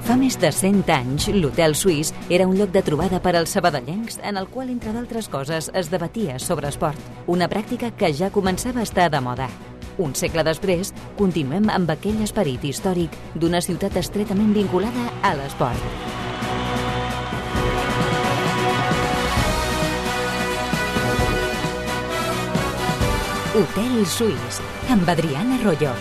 Fa més de 100 anys, l'Hotel Suís era un lloc de trobada per als sabadellencs en el qual, entre d'altres coses, es debatia sobre esport, una pràctica que ja començava a estar de moda. Un segle després, continuem amb aquell esperit històric d'una ciutat estretament vinculada a l'esport. Hotel Suís, amb Adriana Royo.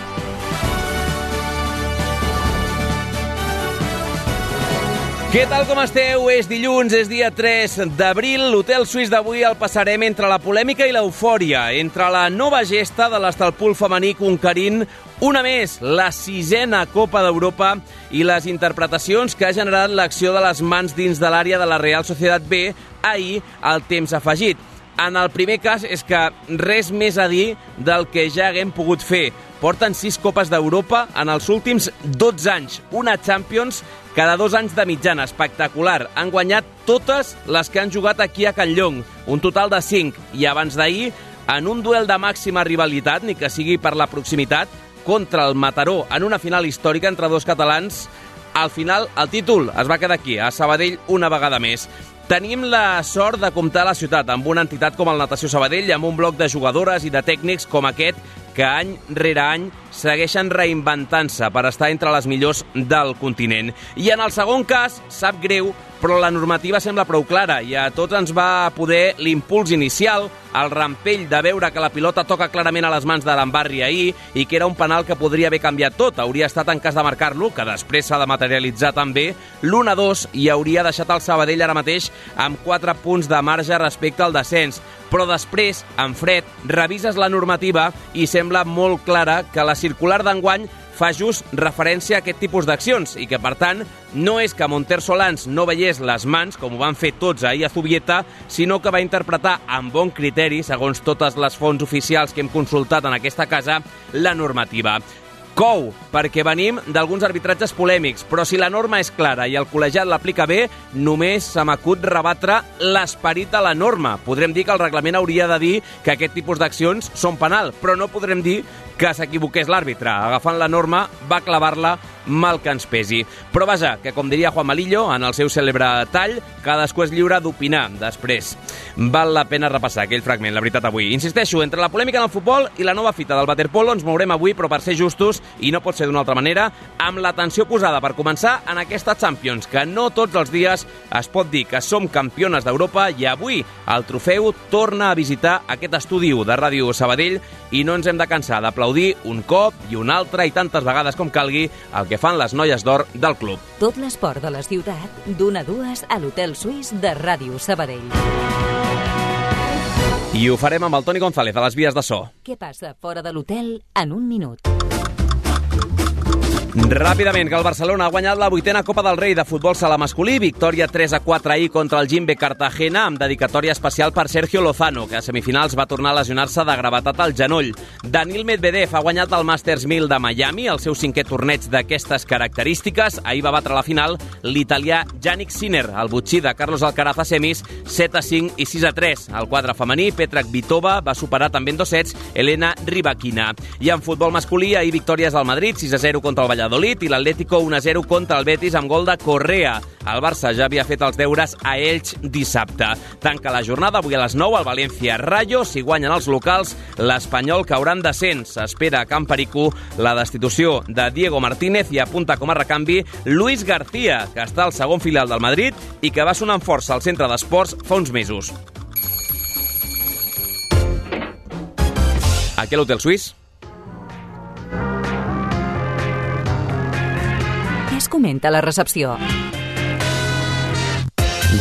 Què tal, com esteu? És dilluns, és dia 3 d'abril. L'Hotel Suís d'avui el passarem entre la polèmica i l'eufòria, entre la nova gesta de l'Estalpul femení conquerint una més, la 6a Copa d'Europa, i les interpretacions que ha generat l'acció de les mans dins de l'àrea de la Real Sociedad B ahir al temps afegit. En el primer cas és que res més a dir del que ja haguem pogut fer. Porten 6 Copes d'Europa en els últims 12 anys, una Champions cada 2 anys de mitjana, espectacular. Han guanyat totes les que han jugat aquí a Can Llong, un total de 5. I abans d'ahir, en un duel de màxima rivalitat, ni que sigui per la proximitat, contra el Mataró, en una final històrica entre dos catalans, al final el títol es va quedar aquí, a Sabadell, una vegada més. Tenim la sort de comptar a la ciutat amb una entitat com el Natació Sabadell, amb un bloc de jugadores i de tècnics com aquest, que any rere any segueixen reinventant-se per estar entre les millors del continent. I en el segon cas, sap greu, però la normativa sembla prou clara i a tots ens va poder l'impuls inicial, el rampell de veure que la pilota toca clarament a les mans de l'Embarri ahir i que era un penal que podria haver canviat tot. Hauria estat en cas de marcar-lo, que després s'ha de materialitzar també, l'1-2 i hauria deixat el Sabadell ara mateix amb 4 punts de marge respecte al descens. Però després, en fred, revises la normativa i sembla molt clara que la circular d'enguany fa just referència a aquest tipus d'accions i que, per tant, no és que Monter Solans no veiés les mans, com ho van fer tots ahir a Zubieta, sinó que va interpretar amb bon criteri, segons totes les fonts oficials que hem consultat en aquesta casa, la normativa. Cou, perquè venim d'alguns arbitratges polèmics, però si la norma és clara i el col·legiat l'aplica bé, només se m'acut rebatre l'esperit de la norma. Podrem dir que el reglament hauria de dir que aquest tipus d'accions són penal, però no podrem dir que s'equivoqués l'àrbitre. Agafant la norma, va clavar-la mal que ens pesi. Però vaja, que com diria Juan Malillo, en el seu cèlebre tall, cadascú és lliure d'opinar després. Val la pena repassar aquell fragment, la veritat, avui. Insisteixo, entre la polèmica en el futbol i la nova fita del waterpolo ens mourem avui, però per ser justos, i no pot ser d'una altra manera, amb l'atenció posada per començar en aquesta Champions, que no tots els dies es pot dir que som campiones d'Europa i avui el trofeu torna a visitar aquest estudi de Ràdio Sabadell i no ens hem de cansar d'aplaudir un cop i un altre i tantes vegades com calgui el que fan les noies d'or del club. Tot l'esport de la ciutat, d'1 a 2 a l'Hotel Suís de Ràdio Sabadell. I ho farem amb el Toni González a les vies de so. Què passa fora de l'hotel en un minut? Ràpidament, que el Barcelona ha guanyat la 8a Copa del Rei de futbol sala masculí, victòria 3-4 ahir contra el Jimbe Cartagena, amb dedicatòria especial per Sergio Lozano, que a semifinals va tornar a lesionar-se de gravetat al genoll. Daniil Medvedev ha guanyat el Masters 1000 de Miami, el seu 5è torneig d'aquestes característiques. Ahir va batre a la final l'italià Jannik Sinner, el botxí de Carlos Alcaraz a semis, 7-5 i 6-3. Al quadre femení, Petra Kvitova va superar també en 2 sets Elena Rybakina. I en futbol masculí, ahir victòries al Madrid, 6-0 contra el Valladolid, i l'Atlético 1-0 contra el Betis amb gol de Correa. El Barça ja havia fet els deures a Elx dissabte. Tanca la jornada avui a les 9 al València Rayo. Si guanyen els locals, l'Espanyol caurà en descens. S'espera a Camp Perico la destitució de Diego Martínez i apunta com a recanvi Luis García, que està al segon filial del Madrid i que va sonar amb força al centre d'esports fa uns mesos. Aquí a l'Hotel Suís. Què es comenta a la recepció?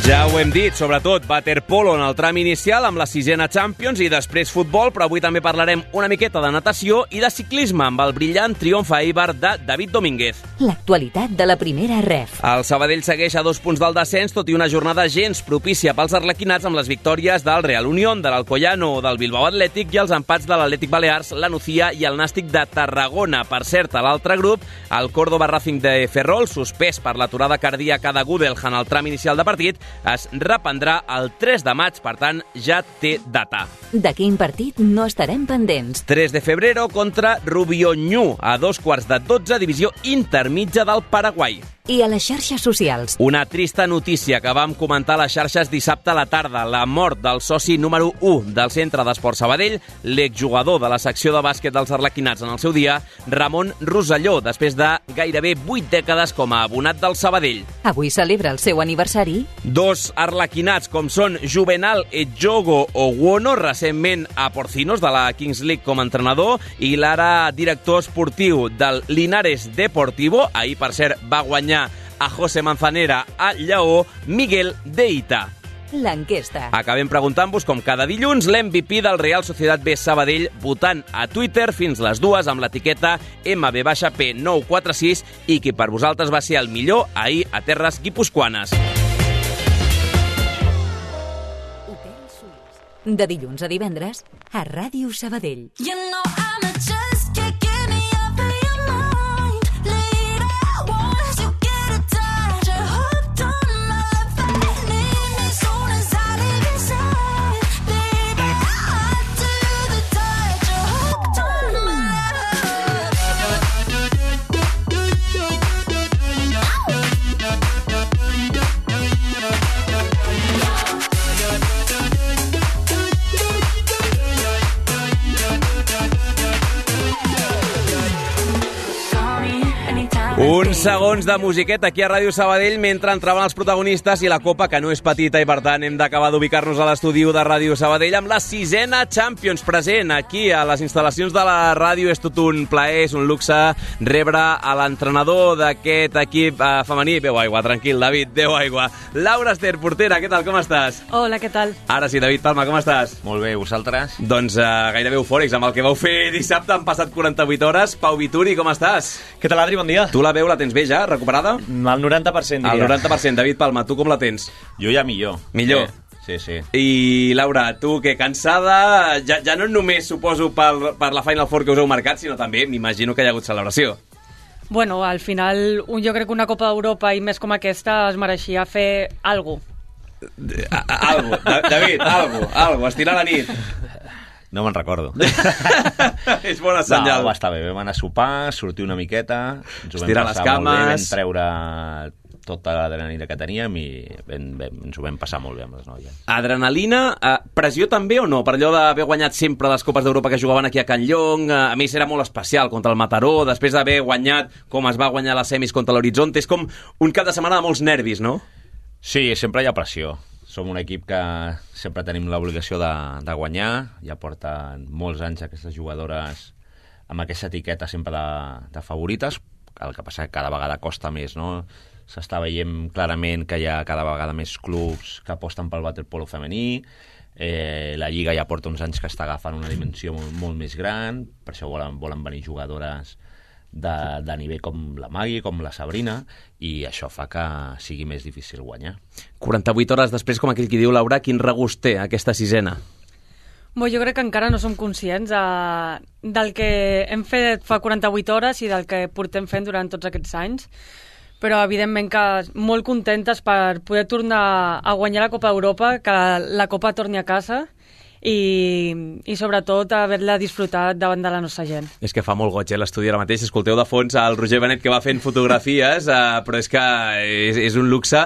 Ja ho hem dit, sobretot waterpolo en el tram inicial amb la 6a Champions i després futbol, però avui també parlarem una miqueta de natació i de ciclisme amb el brillant triomf a Eibar de David Domínguez. L'actualitat de la primera ref. El Sabadell segueix a 2 punts del descens, tot i una jornada gens propícia pels arlequinats amb les victòries del Real Unión, de l'Alcoyano o del Bilbao Atlètic i els empats de l'Atlètic Balears, la Nucía i el Nàstic de Tarragona. Per cert, a l'altre grup, el Córdoba Racing de Ferrol, suspès per l'aturada cardíaca de Gudelj en el tram inicial de partit, es reprendrà el 3 de maig, per tant, ja té data. De quin partit no estarem pendents? 3 de febrero contra Rubio Ñu, a 2:15, divisió intermitja del Paraguai. I a les xarxes socials. Una trista notícia que vam comentar a les xarxes dissabte a la tarda. La mort del soci número 1 del Centre d'Esport Sabadell, l'exjugador de la secció de bàsquet dels Arlequinats en el seu dia, Ramon Rosselló, després de gairebé 8 dècades com a abonat del Sabadell. Avui celebra el seu aniversari. 2 arlequinats, com són Juvenal Edjogo Oguono, recentment a Porcinos, de la Kings League com a entrenador, i l'ara director esportiu del Linares Deportivo, ahir, per cert, va guanyar a José Manzanera a Lleó, Miguel Deita. L'enquesta. Acabem preguntant-vos, com cada dilluns, l'MVP del Real Societat B Sabadell, votant a Twitter fins les 2 amb l'etiqueta MB-P946 i qui per vosaltres va ser el millor ahir a terres guipuscoanes. Hotel Suís. De dilluns a divendres a Ràdio Sabadell. Uns segons de musiqueta aquí a Ràdio Sabadell mentre entraven els protagonistes i la copa, que no és petita i per tant hem d'acabar d'ubicar-nos a l'estudi de Ràdio Sabadell amb la 6a Champions present aquí a les instal·lacions de la ràdio. És tot un plaer, és un luxe rebre a l'entrenador d'aquest equip femení. Beu aigua, tranquil, David, beu aigua. Laura Ester, portera, què tal, com estàs? Hola, què tal? Ara sí, David Palma, com estàs? Molt bé, vosaltres? Doncs gairebé eufòrics amb el que vau fer dissabte. Han passat 48 hores. Pau Vituri, com estàs? Què tal, Adri? Bon dia. Tu la veu la tens bé ja, recuperada? Al 90%, diria. Al 90%. David Palma, tu com la tens? Jo ja millor. Millor? Sí. I Laura, tu que cansada, ja no només suposo per la Final Four que us heu marcat, sinó també m'imagino que hi ha hagut celebració. Bueno, al final, jo crec que una Copa d'Europa i més com aquesta es mereixia fer alguna cosa. David, algo, estirar la nit. No me'n recordo. És bona senyal. No, va estar bé. Vam anar a sopar, sortir una miqueta, ens ho vam estirar les passar cames. molt bé, vam treure tota l'adrenalina que teníem i ens ho vam passar molt bé amb les noies. Adrenalina, pressió també o no? Per allò d'haver guanyat sempre les Copes d'Europa que jugaven aquí a Can Llong, a més era molt especial contra el Mataró, després d'haver guanyat com es va guanyar les semis contra l'Horizonte, és com un cap de setmana de molts nervis, no? Sí, sempre hi ha pressió. Som un equip que sempre tenim l'obligació de guanyar, ja porten molts anys aquestes jugadores amb aquesta etiqueta sempre de favorites, el que passa que cada vegada costa més, no? S'està veient clarament que hi ha cada vegada més clubs que aposten pel waterpolo femení, la Lliga ja porta uns anys que està agafant una dimensió molt més gran, per això volen venir jugadores de nivell com la Magui, com la Sabrina, i això fa que sigui més difícil guanyar. 48 hores després, com aquell qui diu, Laura, quin regust té aquesta 6a? Jo crec que encara no som conscients del que hem fet fa 48 hores i del que portem fent durant tots aquests anys, però evidentment que molt contentes per poder tornar a guanyar la Copa d'Europa, que la Copa torni a casa i sobretot haver-la disfrutat davant de la nostra gent. És que fa molt goig, l'estudi ara mateix. Escolteu de fons el Roger Benet que va fent fotografies, però és que és un luxe.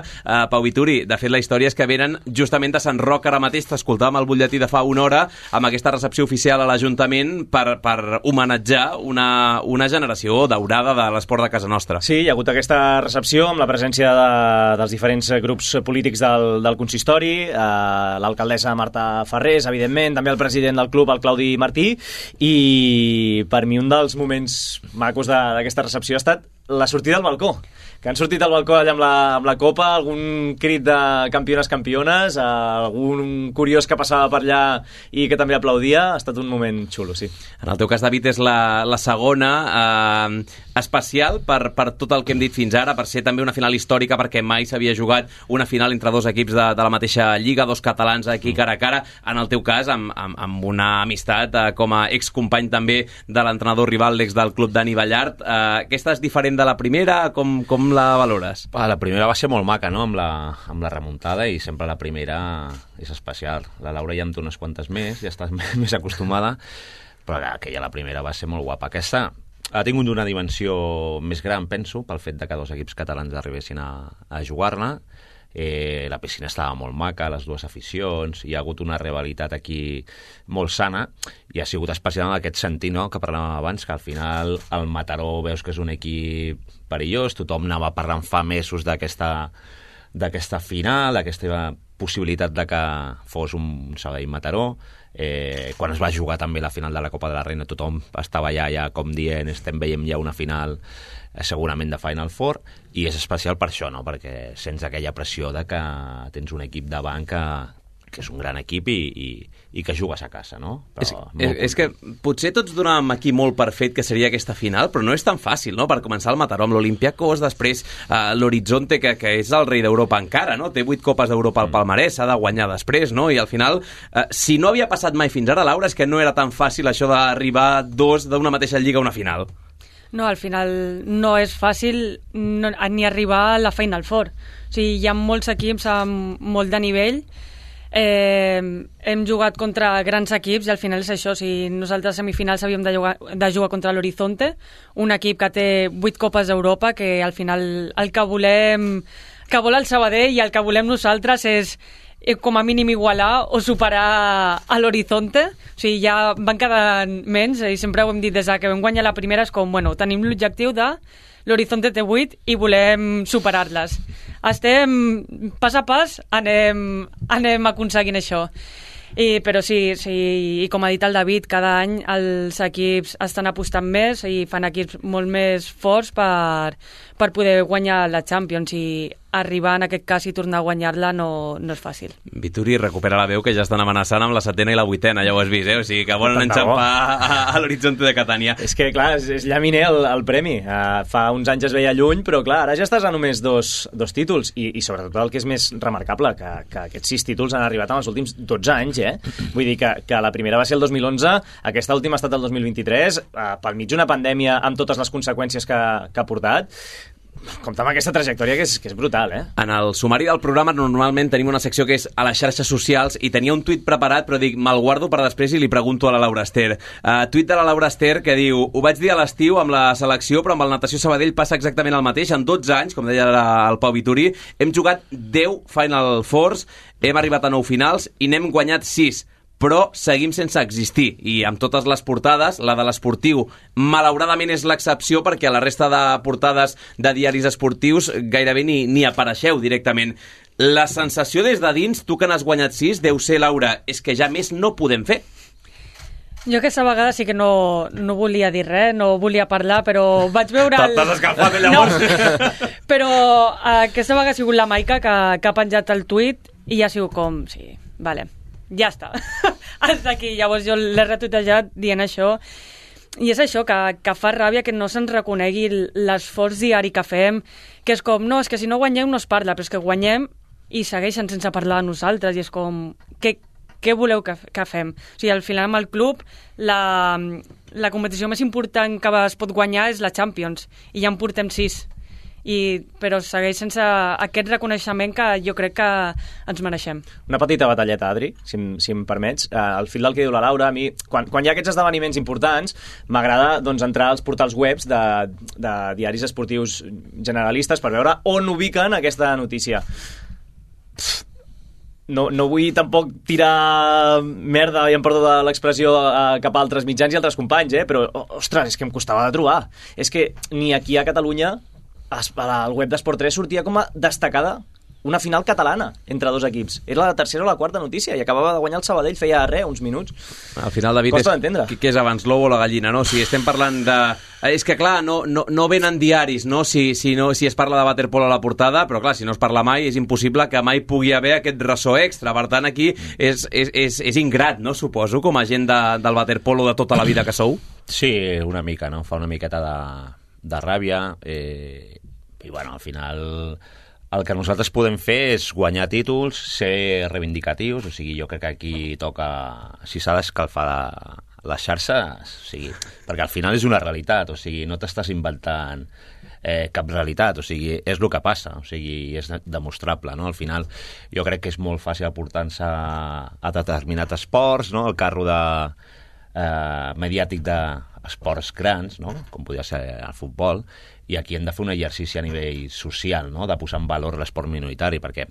Pau Vituri, de fet la història és que venen justament de Sant Roc ara mateix, t'escoltàvem al butlletí de fa una hora, amb aquesta recepció oficial a l'Ajuntament per homenatjar una generació daurada de l'esport de casa nostra. Sí, hi ha hagut aquesta recepció amb la presència dels diferents grups polítics del consistori, l'alcaldessa Marta Ferrés, evidentment, també el president del club, el Claudi Martí, i per mi un dels moments macos d'aquesta recepció ha estat la sortida al balcó, que han sortit al balcó allà amb la copa, algun crit de campiones, algun curiós que passava per allà i que també aplaudia. Ha estat un moment xulo, sí. En el teu cas, David, és la segona, especial per tot el que hem dit fins ara, per ser també una final històrica, perquè mai s'havia jugat una final entre dos equips de la mateixa lliga, dos catalans aquí cara a cara, en el teu cas amb una amistat com a excompany també de l'entrenador rival, l'ex del club Dani Ballart. Aquesta és diferent de la primera? Com la valores? La primera va ser molt maca, no?, amb la remuntada, i sempre la primera és especial. La Laura ja en té unes quantes més, ja estàs més acostumada, però aquella, la primera, va ser molt guapa. Aquesta ha tingut una dimensió més gran, penso, pel fet de que 2 equips catalans arribessin a jugar-ne. La piscina estava molt maca, les dues aficions, hi ha hagut una rivalitat aquí molt sana, i ha sigut especial en aquest sentit, no?, que parlàvem abans, que al final el Mataró veus que és un equip perillós, tothom anava parlant fa mesos d'aquesta final, d'aquesta possibilitat de que fos un Sabadell-Mataró. Quan es va jugar també la final de la Copa de la Reina, tothom estava ja com dient, veiem ja una final segurament de Final Four, i és especial per això, no?, perquè sents aquella pressió de que tens un equip davant que és un gran equip i que jugues a casa, no? Però és que potser tots donàvem aquí molt per fet que seria aquesta final, però no és tan fàcil, no?, per començar el Mataró amb l'Olympiacos, després l'Horizonte, que és el rei d'Europa encara, no?, té 8 copes d'Europa al palmarès, s'ha de guanyar després, no?, i al final, si no havia passat mai fins ara, Laura, és que no era tan fàcil això d'arribar 2 d'una mateixa lliga a una final. No, al final no és fàcil ni arribar a la Final Four. O sigui, hi ha molts equips amb molt de nivell. Hem jugat contra grans equips i al final és això. O sigui, nosaltres a semifinals havíem de jugar contra l'Horizonte, un equip que té 8 copes d'Europa, que al final el que vol el Sabadell i el que volem nosaltres és com a mínim igualar o superar a l'Horizonte. O sigui, ja van quedar menys, i sempre ho hem dit des que vam guanyar la primera, és com, bueno, tenim l'objectiu de l'Horizonte té 8 i volem superar-les. Estem pas a pas, anem aconseguint això. Però sí, i com ha dit el David, cada any els equips estan apostant més i fan equips molt més forts per poder guanyar la Champions, i arribar en aquest cas i tornar a guanyar-la no és fàcil. Vituri recupera la veu, que ja estan amenaçant amb la 7ª i la 8ª, ja ho has vist, O sigui que volen enxampar a l'Horizonte de Catània. És que, clar, és llaminer el premi. Fa uns anys es veia lluny, però, clar, ara ja estàs a només dos títols, i sobretot el que és més remarcable, que aquests 6 títols han arribat en els últims 12 anys, Vull dir que la primera va ser el 2011, aquesta última ha estat el 2023, pel mig d'una pandèmia amb totes les conseqüències que ha portat. Compte amb aquesta trajectòria que és brutal, En el sumari del programa normalment tenim una secció que és a les xarxes socials, i tenia un tuit preparat, però dic, me'l guardo per després i li pregunto a la Laura Ester. Tuit de la Laura Ester que diu: ho vaig dir a l'estiu amb la selecció, però amb el Natació Sabadell passa exactament el mateix. En 12 anys, com deia el Pau Vituri, hem jugat 10 Final Fours, hem arribat a 9 finals i n'hem guanyat 6. Però seguim sense existir, i amb totes les portades, la de l'esportiu malauradament és l'excepció, perquè a la resta de portades de diaris esportius gairebé ni apareixeu directament. La sensació des de dins, tu que n'has guanyat 6, deu ser, Laura, és que ja més no podem fer. Jo aquesta vegada sí que no volia dir res, no volia parlar, però vaig veure... T'has escalfat llavors? No. Però aquesta vegada ha sigut la Maica que ha penjat el tuit, i ja ha sigut com, sí, vale, ja està. Hasta aquí. Llavors jo l'he retuitejat dient això, i és això, que fa ràbia que no se'ns reconegui l'esforç diari que fem, que és com, no, és que si no guanyem no es parla, però és que guanyem i segueixen sense parlar de nosaltres, i és com, què voleu que fem? O sigui, al final amb el club la competició més important que es pot guanyar és la Champions, i ja en portem 6. Però segueix sense aquest reconeixement que jo crec que ens mereixem. Una petita batalleta, Adri, si em permets. Al fil del que diu la Laura, a mi, quan hi ha aquests esdeveniments importants, m'agrada entrar als portals webs de diaris esportius generalistes per veure on ubiquen aquesta notícia. No vull tampoc tirar merda, i em perdo de l'expressió, cap a altres mitjans i altres companys, però, ostres, és que em costava de trobar. És que ni aquí a Catalunya, al web d'Esport 3 sortia com a destacada una final catalana entre 2 equips. Era la tercera o la quarta notícia, i acabava de guanyar el Sabadell, feia uns minuts. Al final, David, costa d'entendre. Què és abans, l'ou o la gallina, no? Si estem parlant de... És que, clar, no venen diaris, no? Si es parla de waterpolo a la portada, però, clar, si no es parla mai, és impossible que mai pugui haver aquest ressò extra. Per tant, aquí és ingrat, no? Suposo, com a gent del waterpolo de tota la vida que sou. Sí, una mica, no? Fa una miqueta de ràbia, i, bueno, al final el que nosaltres podem fer és guanyar títols, ser reivindicatius, o sigui, jo crec que aquí toca, si s'ha d'escalfar les xarxes, o sigui, perquè al final és una realitat, o sigui, no t'estàs inventant cap realitat, o sigui, és el que passa, o sigui, és demostrable, no? Al final jo crec que és molt fàcil aportar-se a determinats esports, no? El carro mediàtic esports grans, no? Com podria ser el futbol, i aquí hem de fer un exercici a nivell social, no? De posar en valor l'esport minoritari, perquè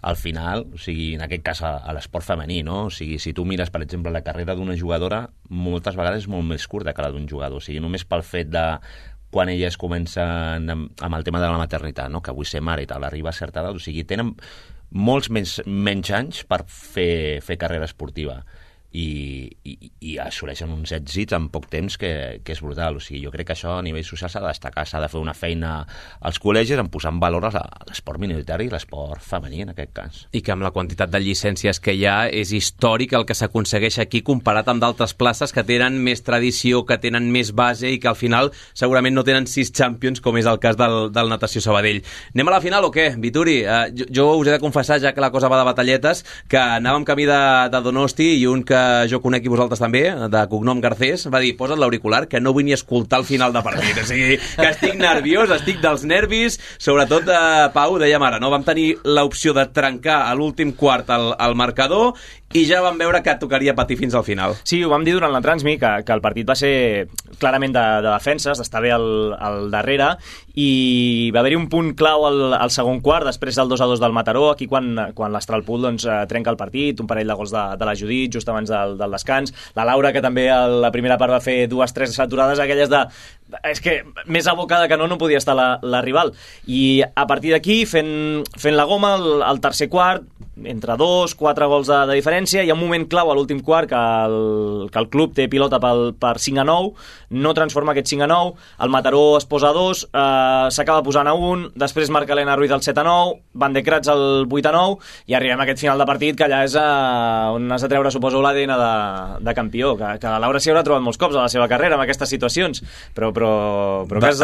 al final, o sigui, en aquest cas a l'esport femení, no? O sigui, si tu mires, per exemple, la carrera d'una jugadora, moltes vegades és molt més curta que la d'un jugador, o sigui, només pel fet de quan elles comencen amb el tema de la maternitat, no? Que vull ser mare i tal, arriba a certa edat, o sigui, tenen molts menys anys per fer carrera esportiva i assoleixen uns èxits en poc temps que és brutal. O sigui, jo crec que això a nivell social s'ha de destacar, s'ha de fer una feina als col·legis en posar en valor l'esport minoritari i l'esport femení, en aquest cas. I que amb la quantitat de llicències que hi ha és històric el que s'aconsegueix aquí comparat amb d'altres places que tenen més tradició, que tenen més base i que al final segurament no tenen 6 champions, com és el cas del Natació Sabadell. Anem a la final o què, Vituri? Jo us he de confessar, ja que la cosa va de batalletes, que anàvem camí de Donosti i un que jo conec i vosaltres també, de cognom Garcés, va dir, posa't l'auricular, que no vull ni escoltar el final de partit. O sigui, que estic nerviós, estic dels nervis, sobretot, Pau, dèiem ara, no? Vam tenir l'opció de trencar a l'últim quart el marcador i ja vam veure que tocaria patir fins al final. Sí, ho vam dir durant la transmi, que el partit va ser clarament de defenses, d'estar bé al darrere, i va haver-hi un punt clau al segon quart, després del 2-2 del Mataró, aquí quan l'Astralpool doncs, trenca el partit, un parell de gols de la Judit, just abans del descans, la Laura, que també a la primera part va fer 2-3 aturades, aquelles de... És que més abocada que no podia estar la rival. I a partir d'aquí, fent la goma, al tercer quart, entre 2-4 gols de diferència, hi ha un moment clau a l'últim quart que el club té pilota per 5-9, no transforma aquest 5-9, el Mataró es posa a 2, s'acaba posant a 1, després marca Elena Ruiz el 7-9, Van de Kratz el 8-9, i arribem a aquest final de partit que allà és on has de treure, suposo, l'ADN de campió, que la Laura s'hi haurà trobat molts cops a la seva carrera amb aquestes situacions, però que has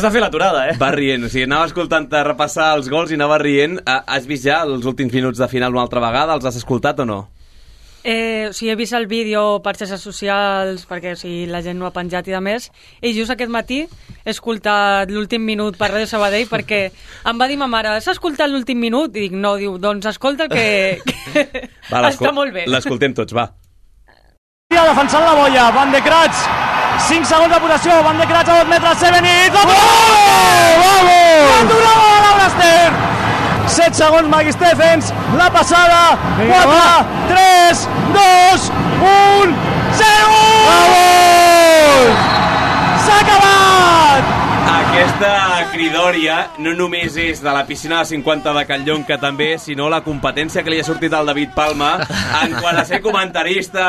de fer l'aturada, eh? Va rient, o sigui, anava escoltant-te repassar els gols i anava rient. Has vist ja els últims minuts de final una altra vegada? Els has escoltat o no? O sigui, he vist el vídeo per xarxes socials perquè la gent no ha penjat i de més, i just aquest matí he escoltat l'últim minut per Ràdio Sabadell perquè em va dir ma mare, has escoltat l'últim minut? I dic, no, diu, doncs escolta que va, està molt bé. L'escoltem tots, va. Defensant la boia, Van de Kratz, 5 segons de possessió, Van de Kratz a 2 metres, Sevenit, vamos! L'aturada de Laura Ester! 7 segons, Maggie Stephens, la passada, 4, 3, 2, 1, 0! Vamos! S'ha acabat! Aquesta cridòria no només és de la piscina de 50 de Can Llong, que també, sinó la competència que li ha sortit al David Palma en quant a ser comentarista,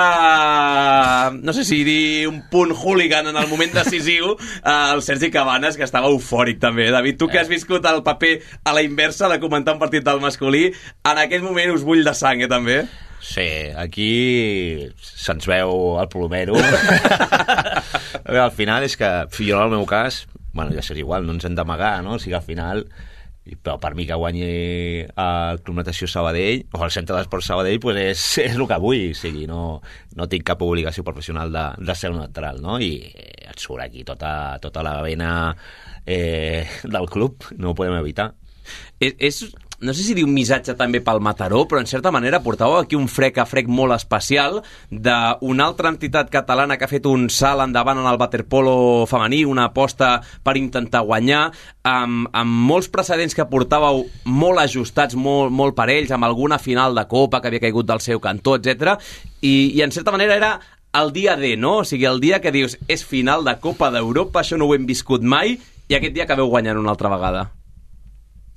no sé si dir un punt hooligan en el moment decisiu, el Sergi Cabanes, que estava eufòric també. David, tu que has viscut el paper a la inversa de comentar un partit del masculí, en aquest moment us bull de sang, també? Sí, aquí se'ns veu el plomero. Al final és que, jo en el meu cas, bueno, ja seria igual, no ens hem d'amagar, no? O sigui, al final, però per mi que guanyi el Club Natació Sabadell o el Centre d'Esport Sabadell, pues és el que vull, o sigui, no tinc cap obligació professional de ser neutral, no? I et surt aquí tota la vena del club, no ho podem evitar. No sé si dir un missatge també pel Mataró, però en certa manera portàveu aquí un frec a frec molt especial d'una altra entitat catalana que ha fet un salt endavant en el waterpolo femení, una aposta per intentar guanyar, amb molts precedents que portàveu molt ajustats, molt parells, amb alguna final de Copa que havia caigut del seu cantó, etc. I en certa manera era el dia D, no? O sigui, el dia que dius és final de Copa d'Europa, això no ho hem viscut mai, i aquest dia acabeu guanyant una altra vegada.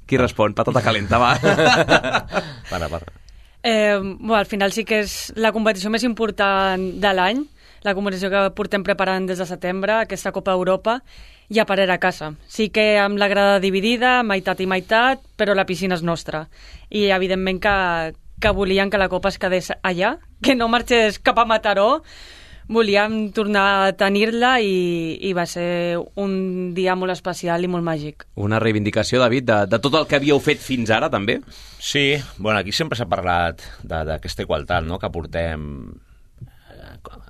Qui respon? Patata calenta, va. Para. Bueno, al final sí que és la competició més important de l'any, la competició que portem preparant des de setembre, aquesta Copa Europa, i a parer a casa. Sí que amb la grada dividida, meitat i meitat, però la piscina és nostra. I evidentment que volien que la Copa es quedés allà, que no marxés cap a Mataró. Volíem tornar a tenir-la i va ser un dia molt especial i molt màgic. Una reivindicació, David, de tot el que havíeu fet fins ara, també? Sí, bueno, aquí sempre s'ha parlat d'aquesta igualtat, no?, que portem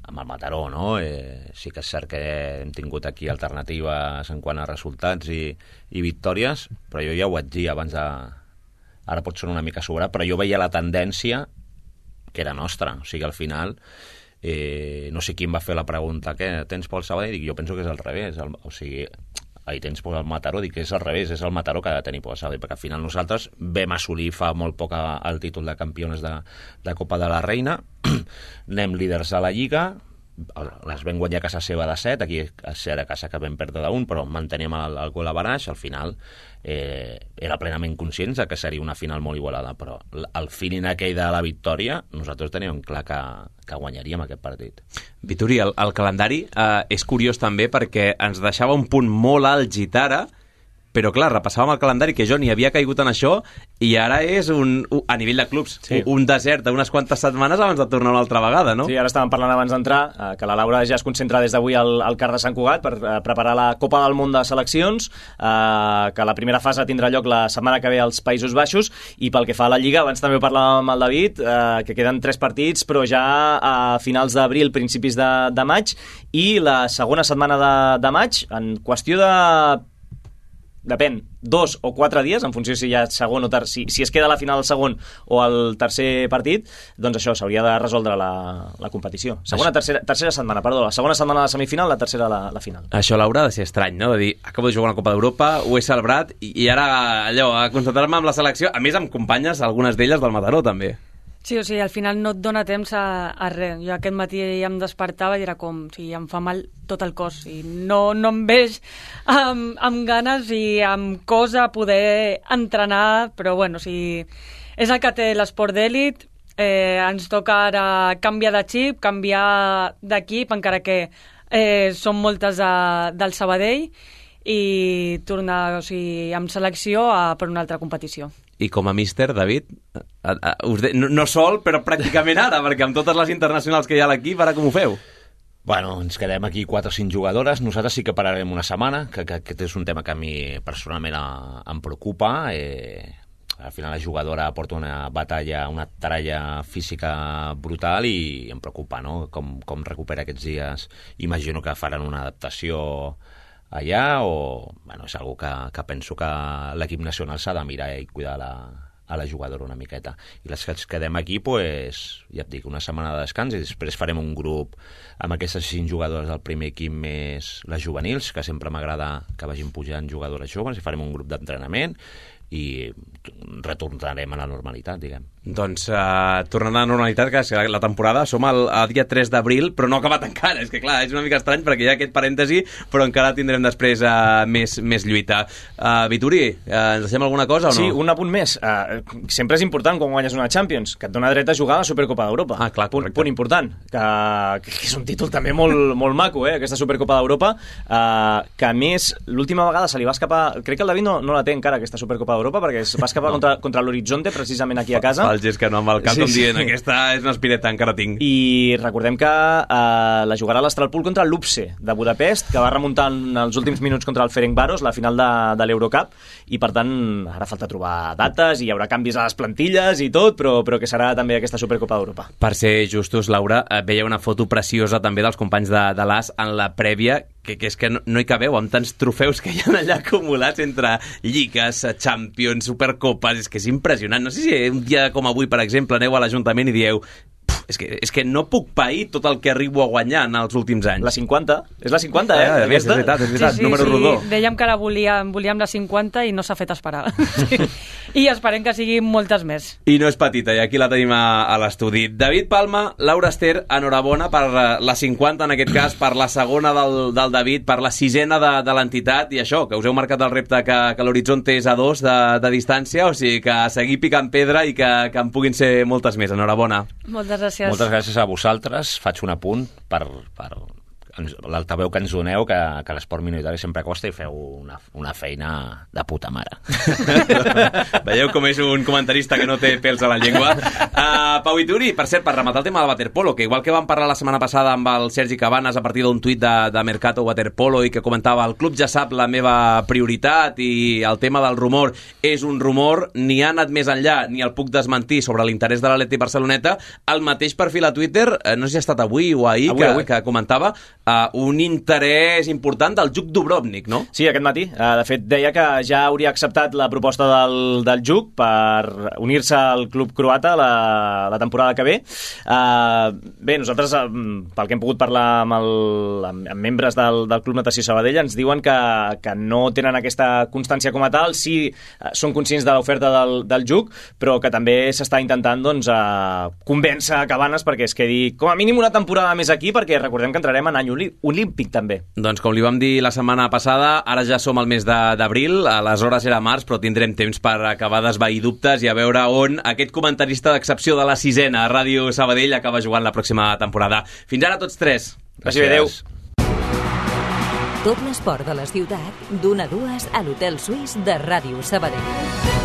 amb el Mataró, no? Sí que és cert que hem tingut aquí alternatives en quant a resultats i victòries, però jo ja ho vaig dir abans de... Ara pot sonar una mica sobrat, però jo veia la tendència que era nostra, o sigui, al final... no sé qui em va fer la pregunta, què tens pel Sabadell? Dic, jo penso que és al revés, o sigui, tens pel Mataró, dic que és al revés, és el Mataró que ha de tenir pel Sabadell, perquè al final nosaltres vam assolir fa molt poc el títol de campions de Copa de la Reina, anem líders a la Lliga, les vam guanyar a casa seva de 7, aquí era a casa que vam perdre d'1, però manteníem el gol a baraix. Al final era plenament conscients que seria una final molt igualada, però el feeling aquell de la victòria nosaltres teníem clar que guanyaríem aquest partit. Vituri, el calendari és curiós també perquè ens deixava un punt molt alt Gitara, però clar, repassàvem el calendari que jo ni havia caigut en això i ara és a nivell de clubs un desert d'unes quantes setmanes abans de tornar una altra vegada, no? Sí, ara estàvem parlant abans d'entrar que la Laura ja es concentra des d'avui al CAR de Sant Cugat per preparar la Copa del Món de Seleccions, que la primera fase tindrà lloc la setmana que ve als Països Baixos, i pel que fa a la Lliga, abans també parlàvem amb el David, que queden 3 partits, però ja a finals d'abril, principis de maig, i la segona setmana de maig, en qüestió de... depèn, 2 o 4 dies, en funció si hi ha segon o tercer, si es queda a la final el segon o el tercer partit, doncs això, s'hauria de resoldre la competició. Tercera setmana, perdó, la segona setmana de semifinal, la tercera la final. Això, Laura, ha de ser estrany, no? De dir, acabo de jugar una Copa d'Europa, ho he celebrat, i ara allò, a concentrar-me amb la selecció, a més amb companyes, algunes d'elles del Mataró, també. Sí, o sigui, al final no et dona temps a res. Jo aquest matí em despertava i era com, o sigui, em fa mal tot el cos i no em veig amb ganes i amb cos a poder entrenar, però bueno, o sigui, és el que té l'esport d'èlit, ens toca ara canviar de xip, canviar d'equip, encara que són moltes del Sabadell, i tornar, o sigui, amb selecció per una altra competició. I com a míster, David, no sol, però pràcticament ara, perquè amb totes les internacionals que hi ha a l'equip, ara com ho feu? Bueno, ens quedem aquí 4 o 5 jugadores. Nosaltres sí que pararem una setmana, que aquest és un tema que a mi personalment em preocupa. Al final la jugadora porta una batalla, una taralla física brutal i em preocupa, no? Com recupera aquests dies. Imagino que faran una adaptació allà, o bueno, és algo que penso que l'equip nacional s'ha de mirar i cuidar a la jugadora una miqueta. I les que ens quedem aquí, pues, ja et dic, una setmana de descans, i després farem un grup amb aquestes 5 jugadores del primer equip més les juvenils, que sempre m'agrada que vagin pujant jugadores joves, i farem un grup d'entrenament i retornarem a la normalitat, diguem. Doncs tornant a la normalitat, que la temporada som al dia 3 d'abril, però no ha acabat encara. És que clar, és una mica estrany perquè hi ha aquest parèntesi, però encara tindrem després més lluita. Vituri, ens deixem alguna cosa o no? Sí, un apunt més. Sempre és important quan guanyes una Champions, que et dona dret a jugar a la Supercopa d'Europa. Clar, punt important, que és un títol també molt maco, aquesta Supercopa d'Europa, que a més l'última vegada se li va escapar, crec que el David no la té encara, aquesta Supercopa d'Europa, perquè es va escapar contra l'Horizonte, precisament aquí a casa. El gest que no amb el cap, com dient, aquesta és una espireta, encara tinc. I recordem que la jugarà l'Astralpool contra l'Upse de Budapest, que va remuntar en els últims minuts contra el Ferencváros, la final de l'Eurocup, i per tant ara falta trobar dates i hi haurà canvis a les plantilles i tot, però que serà també aquesta Supercopa d'Europa. Per ser justos, Laura, veia una foto preciosa també dels companys de l'AS en la prèvia, que és que no hi cabeu amb tants trofeus que hi ha allà acumulats entre lligues, Champions, Supercopes, és que és impressionant. No sé si un dia com avui, per exemple, aneu a l'Ajuntament i dieu és que no puc pair tot el que arribo a guanyar en els últims anys. La 50, és la 50, És veritat, sí, número rodó. Dèiem que ara volíem la 50 i no s'ha fet esperar. I esperem que siguin moltes més. I no és petita, i aquí la tenim a l'estudi. David Palma, Laura Ester, enhorabona per la 50, en aquest cas, per la segona del David, per la 6ena de l'entitat, i això, que us heu marcat el repte que l'Horizonte és a 2 de distància, o sigui que seguir picant pedra i que en puguin ser moltes més. Enhorabona. Moltes gràcies. Moltes gràcies a vosaltres. Faig un apunt per l'altaveu que ens doneu, que l'esport minoritari sempre costa, i feu una feina de puta mare. Veieu com és un comentarista que no té pèls a la llengua. Pau Vituri, per cert, per rematar el tema del waterpolo, que igual que vam parlar la setmana passada amb el Sergi Cabanes a partir d'un tuit de Mercato Waterpolo i que comentava el club ja sap la meva prioritat i el tema del rumor és un rumor, ni ha anat més enllà ni el puc desmentir sobre l'interès de l'Atleti Barceloneta. El mateix perfil a Twitter, no sé si ha estat avui o ahir, que comentava un interès important del JUC Dubrovnik, no? Sí, aquest matí. De fet, deia que ja hauria acceptat la proposta del JUC per unir-se al club croata la temporada que ve. Bé, nosaltres, pel que hem pogut parlar amb membres del Club Natació Sabadell, ens diuen que no tenen aquesta constància com a tal, sí són conscients de l'oferta del JUC, però que també s'està intentant convèncer a Cabanes perquè es quedi com a mínim una temporada més aquí, perquè recordem que entrarem en any olímpic també. Doncs com li vam dir la setmana passada, ara ja som al mes d'abril, aleshores era març, però tindrem temps per acabar d'esvair dubtes i a veure on aquest comentarista d'excepció de la 6ena a Ràdio Sabadell acaba jugant la pròxima temporada. Fins ara tots tres. Gràcies. Adéu. Tot l'esport de la ciutat, d'1 a 2 a l'Hotel Suís de Ràdio Sabadell.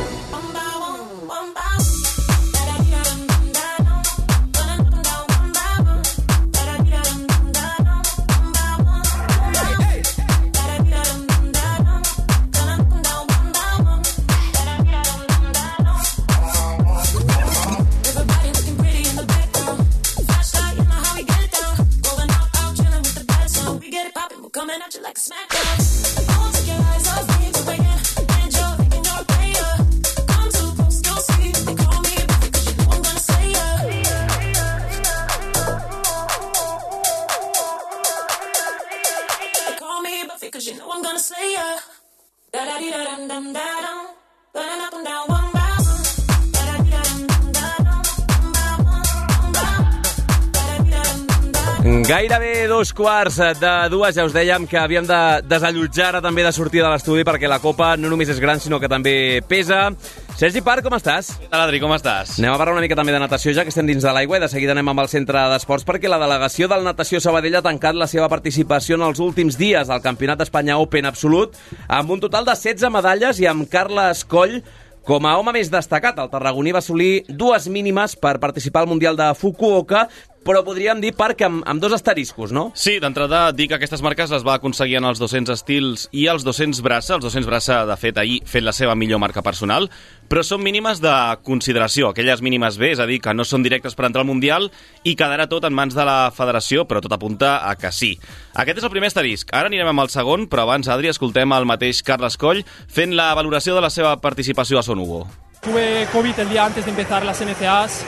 Gairebé 2:15, ja us dèiem que havíem de desallotjar ara també de sortir de l'estudi perquè la copa no només és gran sinó que també pesa. Sergi Parc, com estàs? Què tal, Adri, com estàs? Anem a parlar una mica també de natació, ja que estem dins de l'aigua, i de seguida anem amb el centre d'esports perquè la delegació del Natació Sabadell ha tancat la seva participació en els últims dies al Campionat d'Espanya Open Absolut amb un total de 16 medalles i amb Carles Coll com a home més destacat. El tarragoní va assolir 2 mínimes per participar al Mundial de Fukuoka, però podríem dir, Parc, amb 2 asteriscos, no? Sí, d'entrada dir que aquestes marques les va aconseguir en els 200 estils i els 200 braça. Els 200 braça, de fet, ahir fent la seva millor marca personal, però són mínimes de consideració, aquelles mínimes B, és a dir, que no són directes per entrar al Mundial i quedarà tot en mans de la federació, però tot apunta a que sí. Aquest és el primer asterisc. Ara anirem amb el segon, però abans, Adri, escoltem el mateix Carles Coll fent la valoració de la seva participació a Son Hugo. Tuve COVID el día antes de empezar las NCAs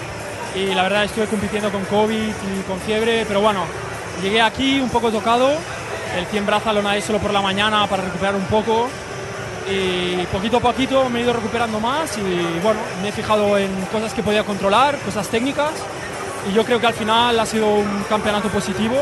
y la verdad estuve compitiendo con COVID y con fiebre, pero bueno, llegué aquí un poco tocado, el 100 braza lo nadé solo por la mañana para recuperar un poco y poquito a poquito me he ido recuperando más y bueno, me he fijado en cosas que podía controlar, cosas técnicas y yo creo que al final ha sido un campeonato positivo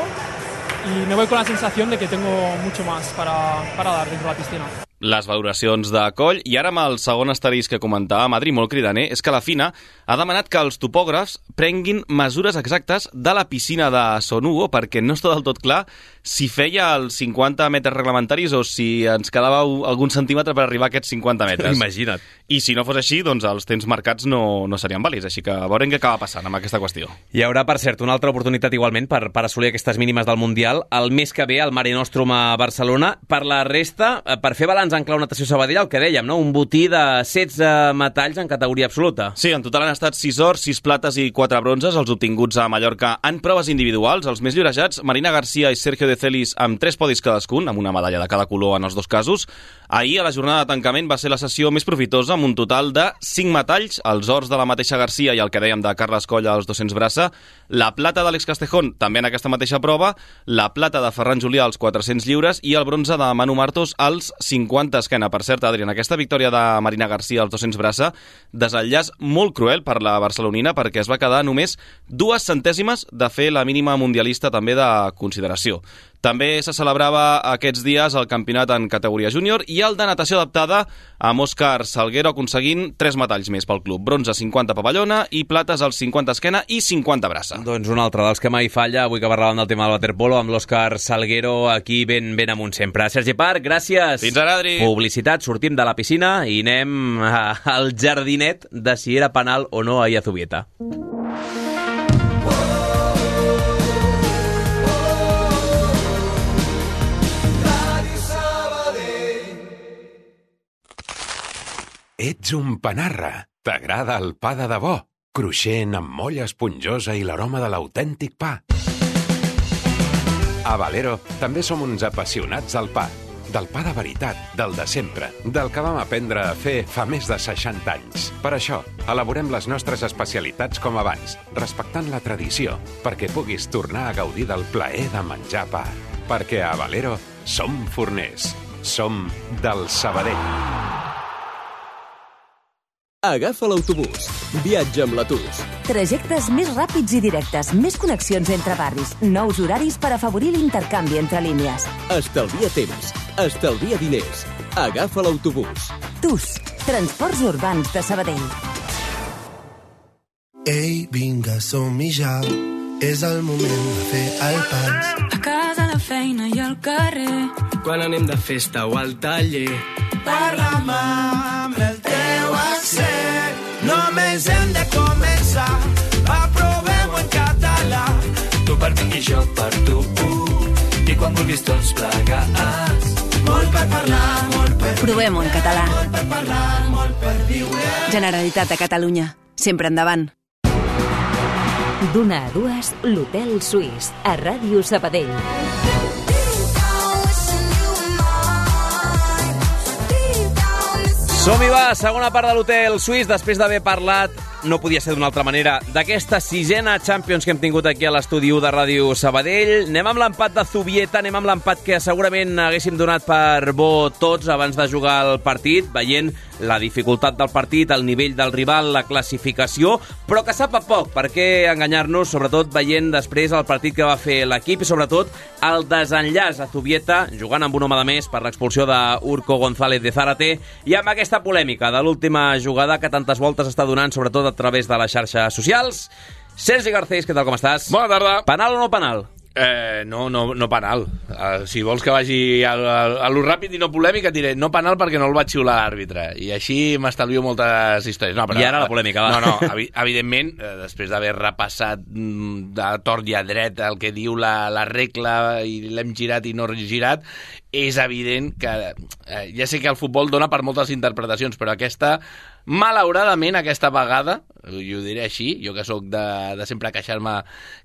y me voy con la sensación de que tengo mucho más para dar dentro de la piscina. Les valoracions de Coll, i ara amb el segon asterisc que comentàvem, Adri, molt cridaner, és que la FINA ha demanat que els topògrafs prenguin mesures exactes de la piscina de Son Hugo perquè no està del tot clar si feia els 50 metres reglamentaris o si ens quedava algun centímetre per arribar a aquests 50 metres. Imagina't. I si no fos així, doncs els temps marcats no serien vàlids, així que veurem què acaba passant amb aquesta qüestió. Hi haurà, per cert, una altra oportunitat igualment per assolir aquestes mínimes del Mundial el mes que ve al Mare Nostrum a Barcelona. Per la resta, per fer balanç en clau Natació Sabadell, el que dèiem, no? Un botí de 16 metalls en categoria absoluta. Sí, en total han estat 6 ors, 6 plates i 4 bronzes, els obtinguts a Mallorca en proves individuals. Els més llorejats, Marina García i Sergio de Celis, amb 3 podis cadascun, amb una medalla de cada color en els 2 casos. Ahir, a la jornada de tancament, va ser la sessió més profitosa, amb un total de 5 metalls, els ors de la mateixa García i el que dèiem de Carles Coll als 200 braça, la plata d'Àlex Castejón, també en aquesta mateixa prova, la plata de Ferran Julià als 400 lliures i el bronze de Manu Martos als 50 esquena. Per cert, Adri, en aquesta victòria de Marina García als 200 braça, desenllaç molt cruel per la barcelonina perquè es va quedar només 2 centèsimes de fer la mínima mundialista també de consideració. També se celebrava aquests dies el campionat en categoria júnior i el de natació adaptada amb Òscar Salguero aconseguint 3 metalls més pel club. Bronze 50 pavellona i plates als 50 esquena i 50 braça. Doncs un altre dels que mai falla, avui que parlàvem del tema del waterpolo, amb l'Òscar Salguero aquí ben amunt sempre. Sergi Parc, gràcies. Fins ara, Adri. Publicitat, sortim de la piscina i anem al jardinet de si era penal o no a Iazubieta. Ets un panarra. T'agrada el pa de debò, cruixent amb molla esponjosa i l'aroma de l'autèntic pa. A Valero també som uns apassionats del pa. Del pa de veritat, del de sempre, del que vam aprendre a fer fa més de 60 anys. Per això, elaborem les nostres especialitats com abans, respectant la tradició, perquè puguis tornar a gaudir del plaer de menjar pa. Perquè a Valero som forners. Som del Sabadell. Agafa l'autobús. Viatja amb l'Atus. Trajectes més ràpids i directes, més connexions entre barris, nous horaris per afavorir l'intercanvi entre línies. Estalvia temps. Estalvia diners. Agafa l'autobús. TUS, Transports Urbans de Sabadell. Ei, vinga, som-hi ja. És el moment de fer el pas. A casa, a la feina i al carrer. Quan anem de festa o al taller. Parla'm amb el teu accent. Només hem de començar. Aprovem-ho en català. Tu per mi i jo per tu. I quan vulguis tots plegats. Molt per parlar, molt per viure. Provem-ho en català. Molt per parlar, molt per viure. Generalitat de Catalunya. Sempre endavant. D'una a dues, l'Hotel Suís, a Ràdio Sabadell. Som-hi va, segona part de l'Hotel Suís, després d'haver parlat, no podia ser d'una altra manera, d'aquesta sisena Champions que hem tingut aquí a l'estudi 1 de Ràdio Sabadell. Anem amb l'empat de Zubieta, anem amb l'empat que segurament haguéssim donat per bo tots abans de jugar el partit, veient la dificultat del partit, el nivell del rival, la classificació, però que sap a poc, per què enganyar-nos, sobretot veient després el partit que va fer l'equip i sobretot el desenllaç a Zubieta, jugant amb un home de més per l'expulsió d'Urko González de Zárate, i amb aquesta polèmica de l'última jugada que tantes voltes està donant, sobretot a través de les xarxes socials. Sergi Garcés, què tal, com estàs? Bona tarda. Penal o no penal? No penal. Si vols que vagi a lo ràpid i no polèmic, et diré no penal perquè no el va xiular l'àrbitre. I així m'estalvio moltes històries. No, però, I ara la polèmica, va. No, evidentment, després d'haver repassat de tort i a dret el que diu la regla i l'hem girat i no girat, és evident que ja sé que el futbol dona per moltes interpretacions, però aquesta, malauradament, aquesta vegada, i ho diré així, jo que sóc de sempre queixar-me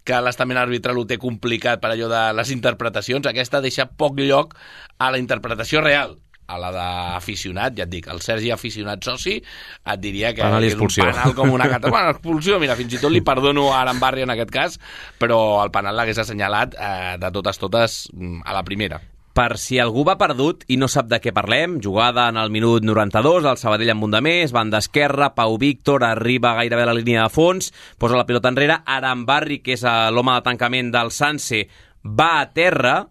que l'estament arbitral ho té complicat per allò de les interpretacions, aquesta deixa poc lloc a la interpretació real. A la d'aficionat, ja et dic, el Sergi aficionat soci, et diria que és un penal com una cata. Bueno, expulsió, mira, fins i tot li perdono a Arambarri en aquest cas, però el penal l'hagués assenyalat de totes a la primera. Per si algú va perdut i no sap de què parlem, jugada en el minut 92, el Sabadell amb un de més, banda esquerra, Pau Víctor arriba gairebé a la línia de fons, posa la pilota enrere, Arambarri, que és l'home de tancament del Sanse, va a terra,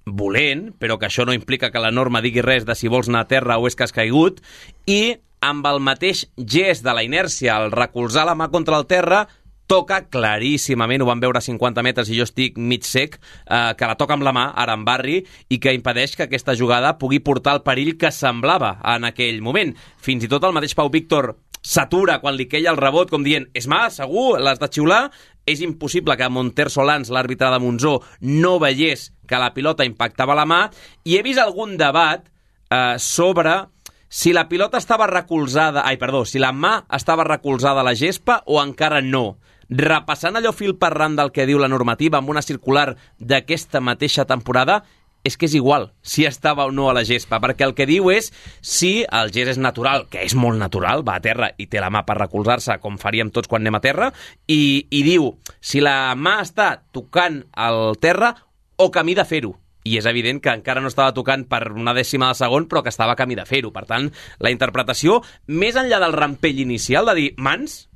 volent, però que això no implica que la norma digui res de si vols anar a terra o és que has caigut, i amb el mateix gest de la inèrcia, al recolzar la mà contra el terra, toca claríssimament, ho van veure a 50 metres i jo estic mig sec, que la toca amb la mà, Arambarri, i que impedeix que aquesta jugada pugui portar el perill que semblava en aquell moment. Fins i tot el mateix Pau Víctor s'atura quan li queia el rebot, com dient, és mà, segur, l'has de xiular? És impossible que Monter Solans, l'àrbitre de Monzó, no veiés que la pilota impactava la mà, i he vist algun debat sobre si la pilota estava recolzada, si la mà estava recolzada a la gespa o encara no. Repassant allò fil per ran del que diu la normativa amb una circular d'aquesta mateixa temporada, és que és igual si estava o no a la gespa, perquè el que diu és si el gest és natural, que és molt natural, va a terra i té la mà per recolzar-se, com faríem tots quan anem a terra, i diu si la mà està tocant el terra o camí de fer-ho. I és evident que encara no estava tocant per una dècima de segon, però que estava camí de fer-ho. Per tant, la interpretació, més enllà del rampell inicial de dir mans,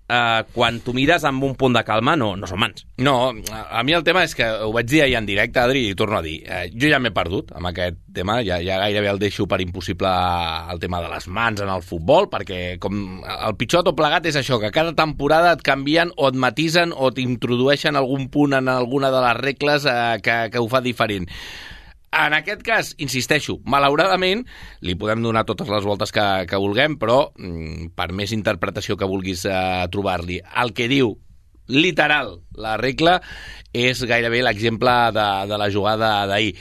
quan tu mires amb un punt de calma, no són mans. No, a mi el tema és que ho vaig dir ahir en directe, Adri, i torno a dir, jo ja m'he perdut amb aquest tema, ja gairebé el deixo per impossible el tema de les mans en el futbol, perquè com el pitjor tot plegat és això, que cada temporada et canvien o et matisen o t'introdueixen algun punt en alguna de les regles que ho fa diferent. En aquest cas, insisteixo, malauradament, li podem donar totes les voltes que vulguem, però per més interpretació que vulguis trobar-li, el que diu literal la regla és gairebé l'exemple de la jugada d'ahir.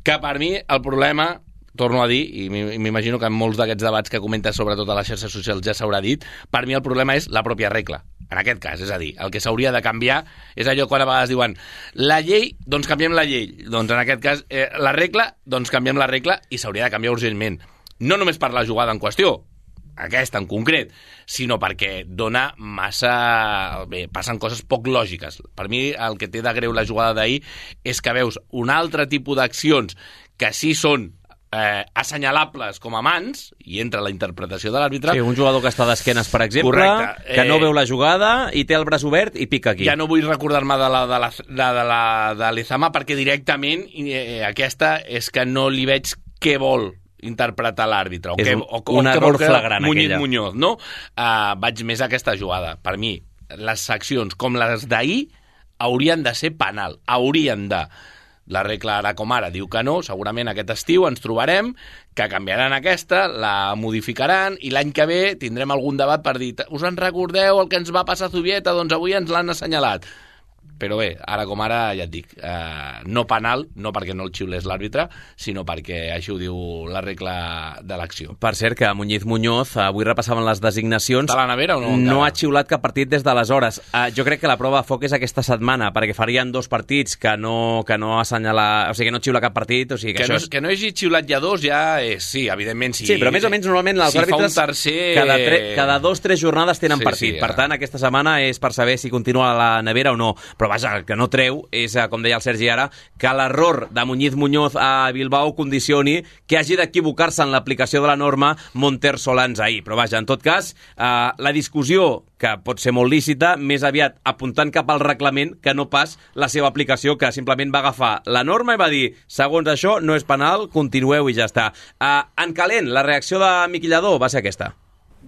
Que per mi el problema, torno a dir, i m'imagino que en molts d'aquests debats que comentes sobretot a les xarxes socials ja s'haurà dit, per mi el problema és la pròpia regla. en aquest cas, és a dir, el que s'hauria de canviar és allò quan a vegades diuen la llei, doncs canviem la llei. Doncs en aquest cas, la regla, doncs canviem la regla i s'hauria de canviar urgentment. No només per la jugada en qüestió, aquesta en concret, sinó perquè dona massa... Bé, passen coses poc lògiques. Per mi el que té de greu la jugada d'ahir és que veus un altre tipus d'accions que sí són assenyalables com a mans, i entra la interpretació de l'àrbitre. Sí, un jugador que està d'esquenes, per exemple, correcte, que no veu la jugada i té el braç obert i pica aquí. Ja no vull recordar-me de l'Ezama perquè directament aquesta és que no li veig què vol interpretar l'àrbitre. És un error flagrant, aquella. Muñoz, no? Vaig més a aquesta jugada. Per mi, les seccions com les d'ahir haurien de ser penal. Haurien de... La regla ara com ara diu que no, segurament aquest estiu ens trobarem que canviaran aquesta, la modificaran i l'any que ve tindrem algun debat per dir us en recordeu el que ens va passar a Zubieta? Doncs avui ens l'han assenyalat. Però bé, ara com ara, ja et dic, no penal, no perquè no el xiulés l'àrbitre, sinó perquè així ho diu la regla de l'acció. Per cert, que Muñoz, avui repassaven les designacions, està a la nevera o no? No ha xiulat cap partit des d'aleshores. Jo crec que la prova de foc és aquesta setmana, perquè farien 2 partits que no assenyala, o sigui, que no xiula cap partit, o sigui que això és... Que no hagi xiulat ja 2 ja és... Sí, evidentment sí. Sí, però més o menys normalment els àrbitres cada 2-3 jornades tenen partit. Per tant, aquesta setmana és per saber si continua a la nevera o no. Però vaja, el que no treu és, com deia el Sergi ara, que l'error de Muñoz a Bilbao condicioni que hagi d'equivocar-se en l'aplicació de la norma Monter Solans ahir. Però vaja, en tot cas, la discussió, que pot ser molt lícita, més aviat apuntant cap al reglament que no pas la seva aplicació, que simplement va agafar la norma i va dir, segons això, no és penal, continueu i ja està. En calent, la reacció de Miqui Lladó va ser aquesta.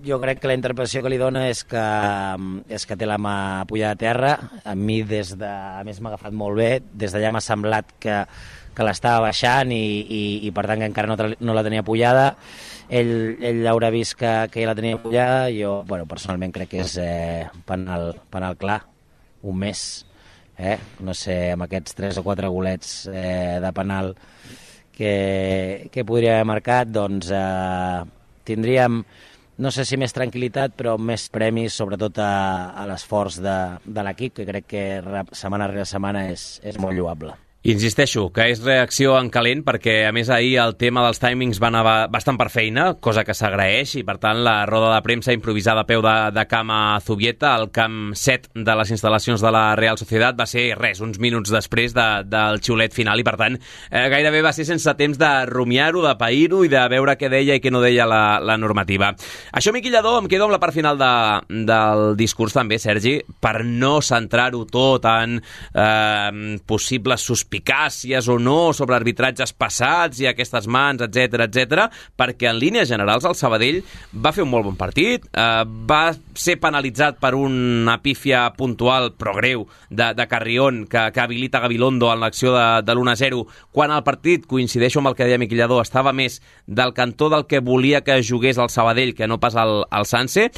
Jo crec que la interpretació que li dona és que té la mà pujada a terra. A mi, a més, m'ha agafat molt bé. Des d'allà m'ha semblat que l'estava baixant i per tant, que encara no la tenia pujada. Ell haurà vist que ja la tenia pujada. Jo, personalment, crec que és penal clar. Un mes. No sé, amb aquests 3 o 4 golets de penal que podria haver marcat, doncs tindríem... No sé si més tranquil·litat, però més premis, sobretot a l'esforç de l'equip, que crec que setmana rere setmana és molt lloable. Insisteixo, que és reacció en calent perquè, a més, ahir el tema dels timings va anar bastant per feina, cosa que s'agraeix, i per tant la roda de premsa improvisada a peu de camp a Zubieta, al camp 7 de les instal·lacions de la Real Sociedad, va ser uns minuts després del xiulet final, i per tant gairebé va ser sense temps de rumiar-ho, de pair-ho i de veure què deia i què no deia la normativa. Això, Miqui Lladó, em quedo amb la part final del discurs també, Sergi, per no centrar-ho tot en possibles suspicàcies o no sobre arbitratges passats i aquestes mans, etc, perquè en línies generals el Sabadell va fer un molt bon partit, va ser penalitzat per una pífia puntual però greu de Carrión que habilita Gabilondo en l'acció de l'1-0, quan el partit, coincideixo amb el que deia Miqui Lladó, estava més del cantó del que volia que jugués el Sabadell que no pas el Sanse,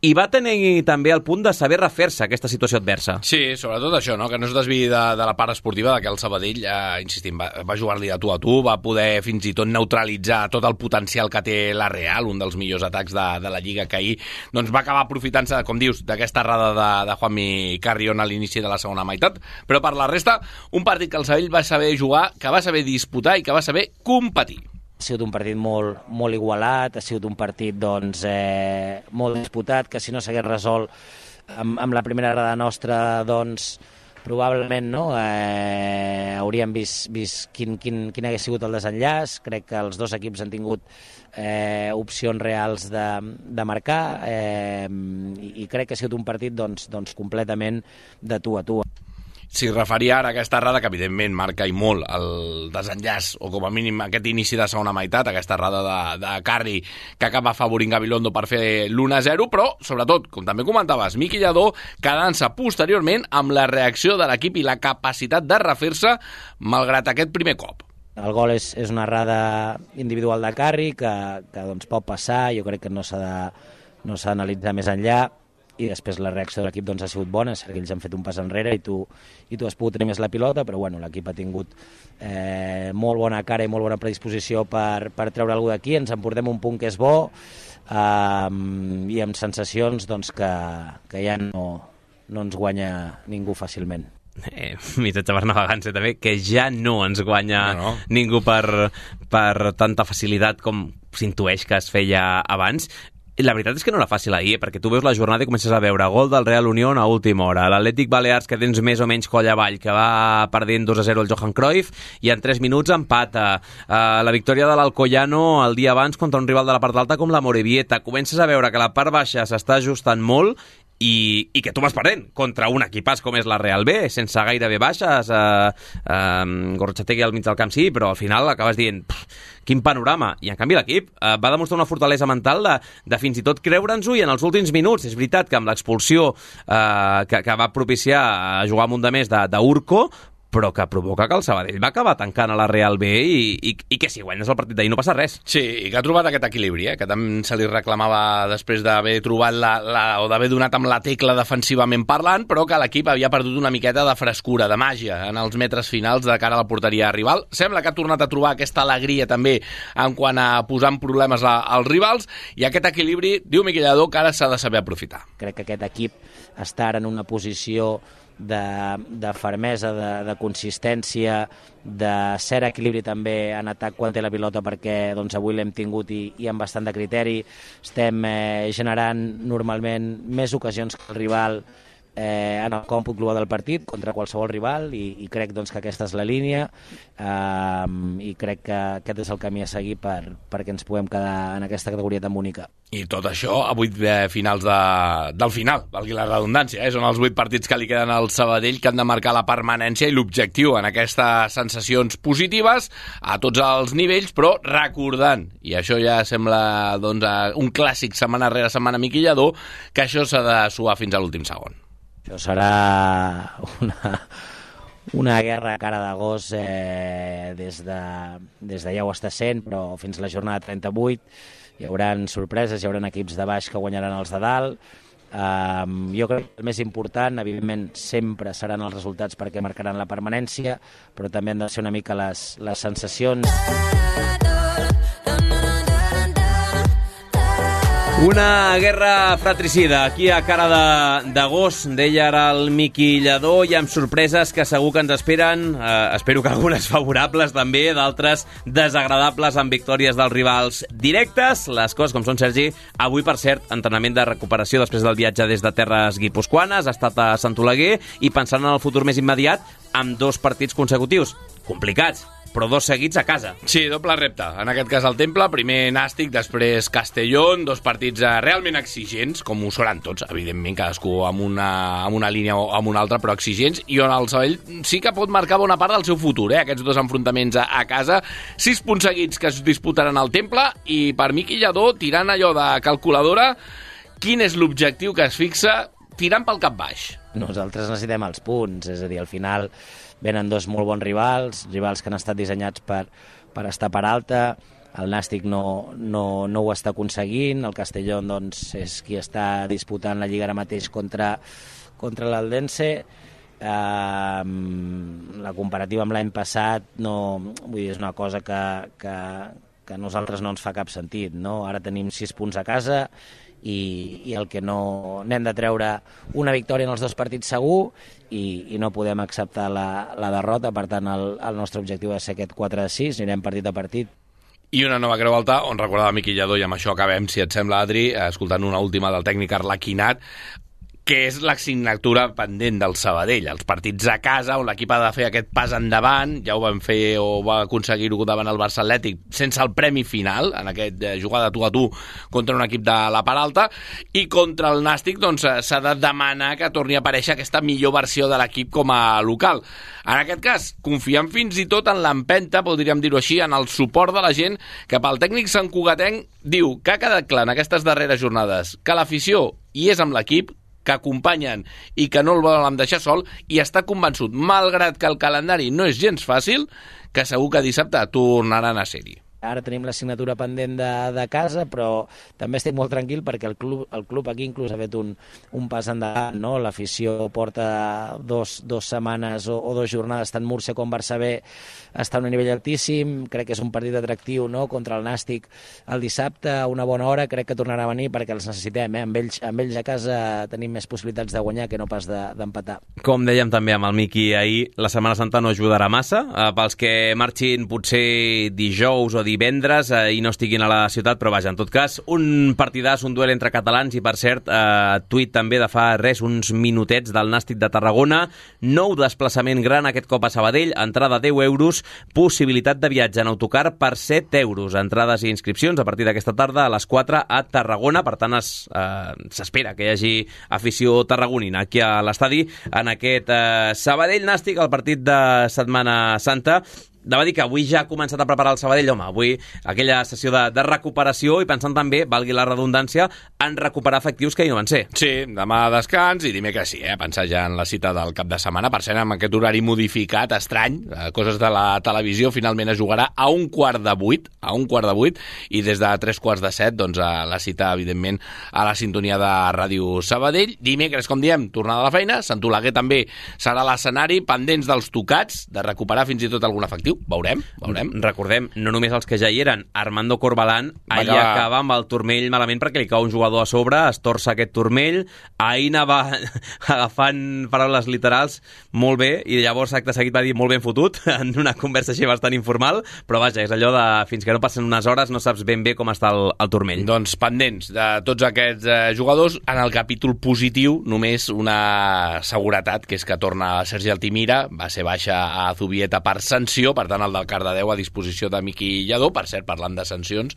i va tenir també el punt de saber refer-se a aquesta situació adversa. Sí, sobretot això, no? Que no es desviï de la part esportiva, de que el Sabadell, insistim, va jugar-li de tu a tu, va poder fins i tot neutralitzar tot el potencial que té la Real, un dels millors atacs de la Lliga, que ahir doncs, va acabar aprofitant-se, com dius, d'aquesta errada de Juanmi Carrión a l'inici de la segona meitat, però per la resta, un partit que el Sabadell va saber jugar, que va saber disputar i que va saber competir. Ha sigut un partit molt igualat, ha sigut un partit molt disputat, que si no s'hagués resolt amb la primera errada nostra, doncs probablement no, hauríem vist quin hagués sigut el desenllaç. Crec que els dos equips han tingut opcions reals de marcar i crec que ha sigut un partit doncs, completament de tu a tu. S'hi referia ara a aquesta errada que evidentment marca i molt el desenllaç o com a mínim aquest inici de segona meitat, aquesta errada de Carri que acaba afavorint Gabilondo per fer l'1-0, però sobretot, com també comentaves, Miqui Lladó quedant-se posteriorment amb la reacció de l'equip i la capacitat de refer-se malgrat aquest primer cop. El gol és una errada individual de Carri que doncs pot passar, jo crec que no s'ha d'analitzar més enllà. i després la reacció de l'equip doncs, ha sigut bona, és cert que ells han fet un pas enrere i tu has pogut tenir més la pilota, però bueno, l'equip ha tingut molt bona cara i molt bona predisposició per treure alguna d'aquí, ens emportem un punt que és bo i amb sensacions doncs, que ja no ens guanya ningú fàcilment. Missatge per navegants també, que ja no ens guanya ningú per tanta facilitat com s'intueix que es feia abans. La veritat és que no era fàcil ahir, perquè tu veus la jornada i comences a veure gol del Real Unión a última hora, l'Atlètic Balears que tens més o menys coll avall, que va perdent 2-0 el Johan Cruyff i en 3 minuts empata, la victòria de l'Alcoyano el dia abans contra un rival de la part alta com la Morevieta. Comences a veure que la part baixa s'està ajustant molt i que tu vas perdent contra un equipàs com és la Real B, sense gairebé baixes, Gorrotxategui al mig del camp sí, però al final acabes dient quin panorama, i en canvi l'equip va demostrar una fortalesa mental de fins i tot creure'ns-ho, i en els últims minuts és veritat que amb l'expulsió que va propiciar jugar un de més d'Urco, però que provoca que el Sabadell va acabar tancant a la Real B i que si guanyes el partit d'ahir no passa res. Sí, i que ha trobat aquest equilibri, que també se li reclamava després d'haver trobat o d'haver donat amb la tecla defensivament parlant, però que l'equip havia perdut una miqueta de frescura, de màgia, en els metres finals de cara a la porteria rival. Sembla que ha tornat a trobar aquesta alegria també en quant a posar en problemes als rivals, i aquest equilibri, diu Miquel Lladó, que ara s'ha de saber aprofitar. Crec que aquest equip està ara en una posició de fermesa, de consistència, de cert equilibri també en atac quan té la pilota, perquè doncs, avui l'hem tingut i amb bastant de criteri. Estem generant normalment més ocasions que el rival en el còmput global del partit contra qualsevol rival, i crec doncs, que aquesta és la línia, i crec que aquest és el camí a seguir perquè ens puguem quedar en aquesta categoria tan bonica. I tot això a 8 finals del final, valgui la redundància, són els 8 partits que li queden al Sabadell, que han de marcar la permanència i l'objectiu en aquestes sensacions positives a tots els nivells, però recordant, i això ja sembla doncs, un clàssic setmana rere setmana, Miquel Lladó, que això s'ha de suar fins a l'últim segon. Això serà una guerra a cara de gos des de ja ho està sent, però fins a la jornada 38 hi haurà sorpreses, hi haurà equips de baix que guanyaran els de dalt. Jo crec que el més important, evidentment, sempre seran els resultats perquè marcaran la permanència, però també han de ser una mica les sensacions. Una guerra fratricida aquí a cara de gos, deia ara el Miqui Lladó, i amb sorpreses que segur que ens esperen, espero que algunes favorables també, d'altres desagradables amb victòries dels rivals directes. Les coses com són, Sergi. Avui, per cert, entrenament de recuperació després del viatge des de terres guipuscoanes, ha estat a Sant Oleguer, i pensant en el futur més immediat, amb 2 partits consecutius complicats, però 2 seguits a casa. Sí, doble repte. En aquest cas el Temple, primer Nàstic, després Castellón, 2 partits realment exigents, com ho seran tots, evidentment, cadascú amb una línia o amb una altra, però exigents, i on el Sabadell sí que pot marcar bona part del seu futur, aquests 2 enfrontaments a casa. 6 punts seguits que es disputaran al Temple, i per Miquel Lladó, tirant allò de calculadora, quin és l'objectiu que es fixa tirant pel cap baix? Nosaltres necessitem els punts, és a dir, al final venen 2 molt bons rivals que han estat dissenyats per estar per alta. El Nàstic no ho està aconseguint, el Castellón doncs, és qui està disputant la Lliga ara mateix contra l'Aldense. La comparativa amb l'any passat vull dir, és una cosa que a nosaltres no ens fa cap sentit, no? Ara tenim 6 punts a casa i el que n'hem de treure una victòria en els 2 partits segur, i no podem acceptar la derrota. Per tant, el nostre objectiu és ser aquest 4-6, anirem partit a partit. I una nova Creu Alta, on recordava Miquel Lladó, i amb això acabem, si et sembla, Adri, escoltant una última del tècnic Arlequinat, que és l'assignatura pendent del Sabadell, els partits a casa, on l'equip ha de fer aquest pas endavant. Ja ho van fer o va aconseguir-ho davant el Barça Atlètic, sense el premi final, en aquest jugada tu a tu contra un equip de la part alta, i contra el Nàstic doncs, s'ha de demanar que torni a aparèixer aquesta millor versió de l'equip com a local. En aquest cas, confiem fins i tot en l'empenta, podríem dir-ho així, en el suport de la gent, que pel tècnic santcugatenc diu que ha quedat clar en aquestes darreres jornades que l'afició hi és amb l'equip, que acompanyen i que no el volen deixar sol, i està convençut, malgrat que el calendari no és gens fàcil, que segur que dissabte tornaran a ser-hi. ara tenim l'assignatura pendent de casa, però també estic molt tranquil perquè el club aquí inclús ha fet un pas endavant, no? L'afició porta dos setmanes o 2 jornades tant Múrcia com Barça B està a un nivell altíssim, crec que és un partit atractiu, no? Contra el Nàstic el dissabte a una bona hora, crec que tornarà a venir perquè els necessitem, amb ells a casa tenim més possibilitats de guanyar que no pas d'empatar. Com dèiem també amb el Miqui ahir, la Setmana Santa no ajudarà massa, pels que marxin potser dijous o divendres i no estiguin a la ciutat, però vaja, en tot cas, un partidàs, un duel entre catalans i per cert, tuit també de fa uns minutets del Nàstic de Tarragona, nou desplaçament gran aquest cop a Sabadell, entrada 10 euros, possibilitat de viatge en autocar per 7 euros. Entrades i inscripcions a partir d'aquesta tarda a les 4 a Tarragona. Per tant, s'espera que hi hagi afició tarragonina aquí a l'estadi en aquest Sabadell Nàstic, el partit de Setmana Santa. Anava a dir que avui ja ha començat a preparar el Sabadell, home, avui aquella sessió de recuperació i pensant també, valgui la redundància, en recuperar efectius que hi no van ser. Sí, demà descans i dimecres sí, pensar ja en la cita del cap de setmana. Per cert, amb aquest horari modificat, estrany, coses de la televisió, finalment es jugarà a 7:15, i des de 7:15, doncs la cita, evidentment, a la sintonia de Ràdio Sabadell. Dimecres, com diem, tornada a la feina, Sant Oleguer també serà l'escenari, pendents dels tocats, de recuperar fins i tot algun efectiu. Veurem. Recordem, no només els que ja hi eren, Armando Corbalán ahir acaba amb el turmell malament perquè li cau un jugador a sobre, es torça aquest turmell, ahir anava agafant paraules literals molt bé i llavors acte seguit va dir molt ben fotut en una conversació bastant informal, però vaja, és allò de fins que no passen unes hores no saps ben bé com està el turmell. Doncs pendents de tots aquests jugadors. En el capítol positiu només una seguretat, que és que torna Sergi Altimira, va ser baixa a Zubieta per sanció, per tant el del Cardedeu a disposició de Miqui Lladó. Per cert, parlant de sancions,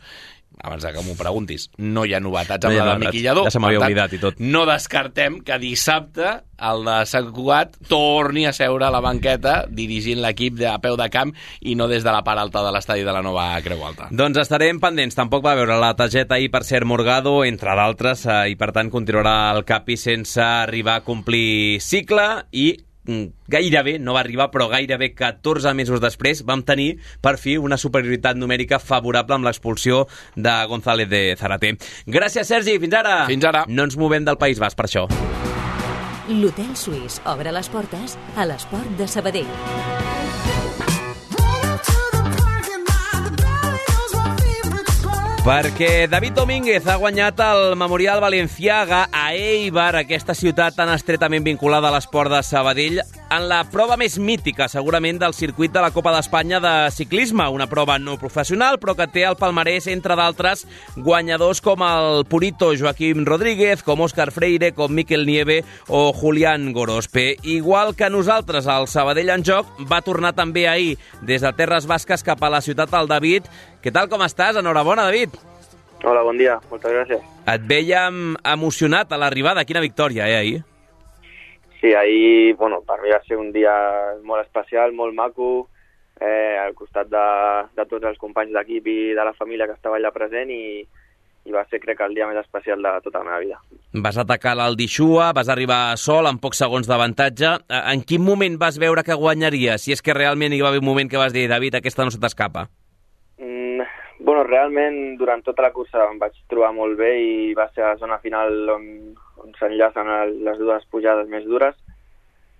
abans que m'ho preguntis, no hi ha novetats amb la de Miqui Lladó. Ja se m'havia oblidat i tot. No descartem que dissabte el de Sant Cugat torni a seure a la banqueta dirigint l'equip a peu de camp i no des de la part alta de l'estadi de la nova Creu Alta. Doncs estarem pendents. Tampoc va veure la targeta ahir per ser Morgado, entre d'altres, i per tant continuarà el Capi sense arribar a complir cicle i gairebé, no va arribar, però gairebé 14 mesos després vam tenir per fi una superioritat numèrica favorable amb l'expulsió de González de Zárate. Gràcies, Sergi, fins ara. Fins ara. No ens movem del País Basc per això. L'Hotel Suís obre les portes a l'Esport de Sabadell. Perquè David Domínguez ha guanyat el Memorial Balenciaga a Eibar, aquesta ciutat tan estretament vinculada a l'esport de Sabadell, en la prova més mítica, segurament, del circuit de la Copa d'Espanya de ciclisme. Una prova no professional, però que té al palmarès, entre d'altres, guanyadors com el Purito Joaquim Rodríguez, com Òscar Freire, com Miquel Nieve o Julián Gorospe. Igual que nosaltres, el Sabadell en joc va tornar també ahir, des de Terres Basques cap a la ciutat del David. Què tal, com estàs? Enhorabona, David. Hola, bon dia. Moltes gràcies. Et vèiem emocionat a l'arribada. Quina victòria, ahir? Sí, ahir, per mi va ser un dia molt especial, molt maco, al costat de tots els companys d'equip i de la família que estava allà present i va ser, crec, el dia més especial de tota la meva vida. Vas atacar l'Aldixua, vas arribar sol amb pocs segons d'avantatge. En quin moment vas veure que guanyaria? Si és que realment hi va haver un moment que vas dir, David, aquesta no se t'escapa. Realment, durant tota la cursa em vaig trobar molt bé i va ser la zona final on s'enllacen les dues pujades més dures,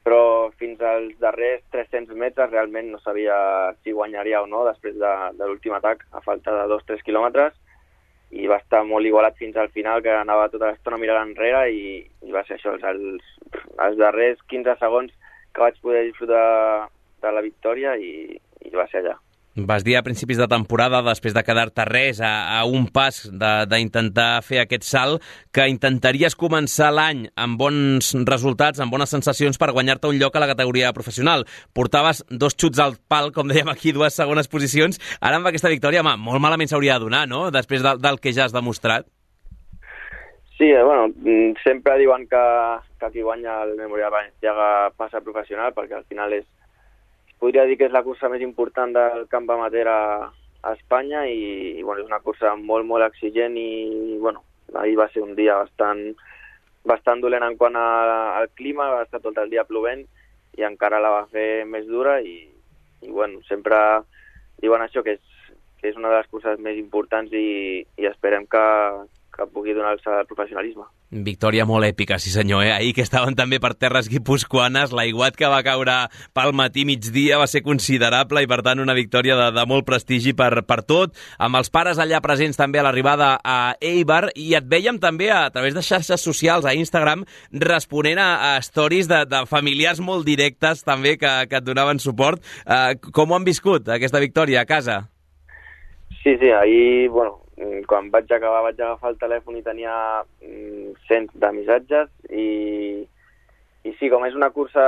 però fins als darrers 300 metres realment no sabia si guanyaria o no després de l'últim atac, a falta de 2-3 quilòmetres, i va estar molt igualat fins al final, que anava tota l'estona mirant enrere i va ser això, els darrers 15 segons que vaig poder disfrutar de la victòria i va ser allà. Vas dir a principis de temporada, després de quedar-te res a un pas d'intentar fer aquest salt, que intentaries començar l'any amb bons resultats, amb bones sensacions per guanyar-te un lloc a la categoria professional. Portaves 2 xuts al pal, com dèiem aquí, 2 segones posicions. Ara amb aquesta victòria, molt malament s'hauria de donar, no?, després del que ja has demostrat. Sí, sempre diuen que qui guanya el Memorial Balenciaga passa professional, perquè al final podria dir que és la cursa més important del camp amateur a Espanya i és una cursa molt, molt exigent i ahir va ser un dia bastant dolent en quant al clima, va estar tot el dia plovent i encara la va fer més dura i sempre diuen això, que és una de les curses més importants i esperem que pugui donar-se al professionalisme. Victòria molt èpica, sí senyor. Ahir que estaven també per terres guipuscoanes, l'aiguat que va caure pel matí migdia va ser considerable i per tant una victòria de molt prestigi per tot, amb els pares allà presents també a l'arribada a Eibar, i et vèiem també a través de xarxes socials, a Instagram, responent a stories de familiars molt directes també que et donaven suport. Com ho han viscut aquesta victòria a casa? Sí, ahir, quan vaig agafar el telèfon i tenia cents de missatges i sí, com és una cursa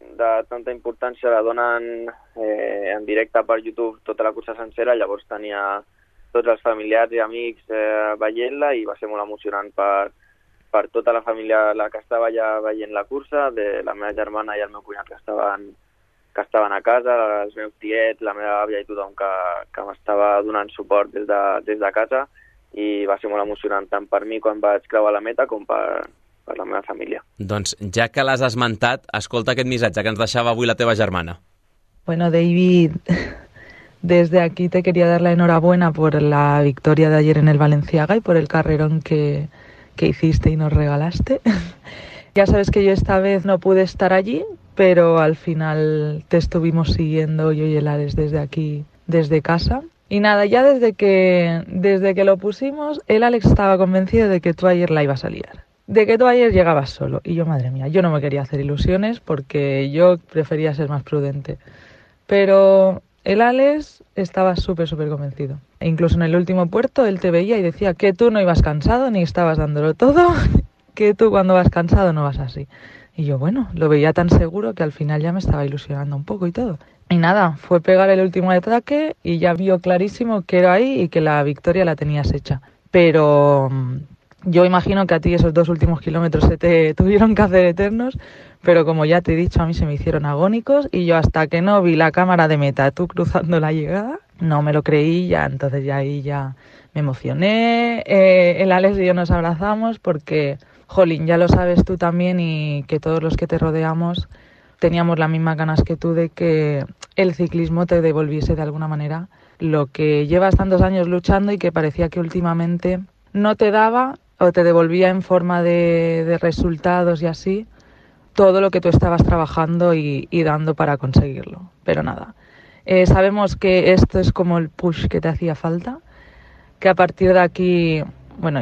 de tanta importància, la donen en directe per YouTube tota la cursa sencera, llavors tenia tots els familiars i amics veient-la i va ser molt emocionant per tota la família la que estava allà veient la cursa, de la meva germana i el meu cunyat que estaven a casa, els meus tiets, la meva àvia i tothom que m'estava donant suport des de casa, i va ser molt emocionant tant per mi quan vaig creuar la meta com per la meva família. Doncs ja que l'has esmentat, escolta aquest missatge que ens deixava avui la teva germana. Bueno, David, desde aquí te quería dar la enhorabuena por la victoria de ayer en el Valenciaga y por el carrerón que hiciste y nos regalaste. Ya sabes que yo esta vez no pude estar allí, pero al final te estuvimos siguiendo yo y el Alex desde aquí, desde casa. Y nada, ya desde que lo pusimos, el Alex estaba convencido de que tú ayer la ibas a liar, de que tú ayer llegabas solo. Y yo, madre mía, yo no me quería hacer ilusiones porque yo prefería ser más prudente. Pero el Alex estaba súper convencido. E incluso en el último puerto él te veía y decía que tú no ibas cansado ni estabas dándolo todo, que tú cuando vas cansado no vas así. Y yo, lo veía tan seguro que al final ya me estaba ilusionando un poco y todo. Y nada, fue pegar el último ataque y ya vio clarísimo que era ahí y que la victoria la tenías hecha. Pero yo imagino que a ti esos 2 últimos kilómetros se te tuvieron que hacer eternos, pero como ya te he dicho, a mí se me hicieron agónicos y yo hasta que no vi la cámara de meta, tú cruzando la llegada, no me lo creí ya, entonces ya ahí ya me emocioné. El Alex y yo nos abrazamos porque... Jolín, ya lo sabes tú también y que todos los que te rodeamos teníamos las mismas ganas que tú de que el ciclismo te devolviese de alguna manera lo que llevas tantos años luchando y que parecía que últimamente no te daba o te devolvía en forma de resultados y así todo lo que tú estabas trabajando y dando para conseguirlo. Pero nada, sabemos que esto es como el push que te hacía falta, que a partir de aquí...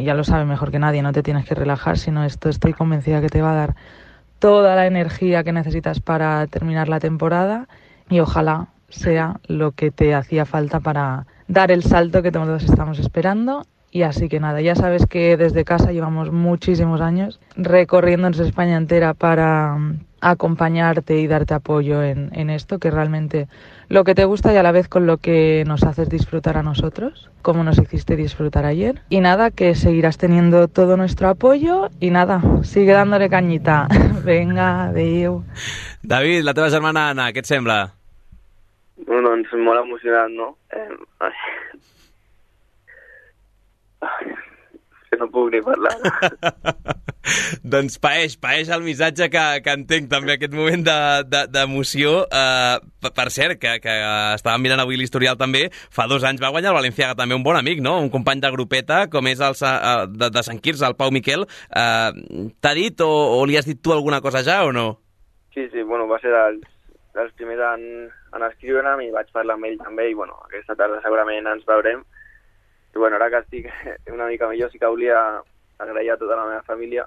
ya lo sabes mejor que nadie, no te tienes que relajar, sino esto estoy convencida que te va a dar toda la energía que necesitas para terminar la temporada y ojalá sea lo que te hacía falta para dar el salto que todos estamos esperando. Y así que nada, ya sabes que desde casa llevamos muchísimos años recorriéndonos España entera para acompañarte y darte apoyo en esto, que realmente lo que te gusta y a la vez con lo que nos haces disfrutar a nosotros, como nos hiciste disfrutar ayer. Y nada, que seguirás teniendo todo nuestro apoyo y nada, sigue dándole cañita. Venga, adéu. David, la teva germana Anna, què et sembla? Doncs molt emocionat, no? Que no puc ni parlar. Doncs paeix el missatge que entenc també aquest moment d'emoció. Per cert, que estàvem mirant avui l'historial també, fa 2 anys va guanyar el Valenciaga també un bon amic, no? Un company de grupeta, com és de Sant Quirze, el Pau Miquel. T'ha dit o li has dit tu alguna cosa ja o no? Sí, va ser dels primers en escriure'm i vaig parlar amb ell també i aquesta tarda segurament ens veurem. I ara que estic una mica millor sí que volia agrair a tota la meva família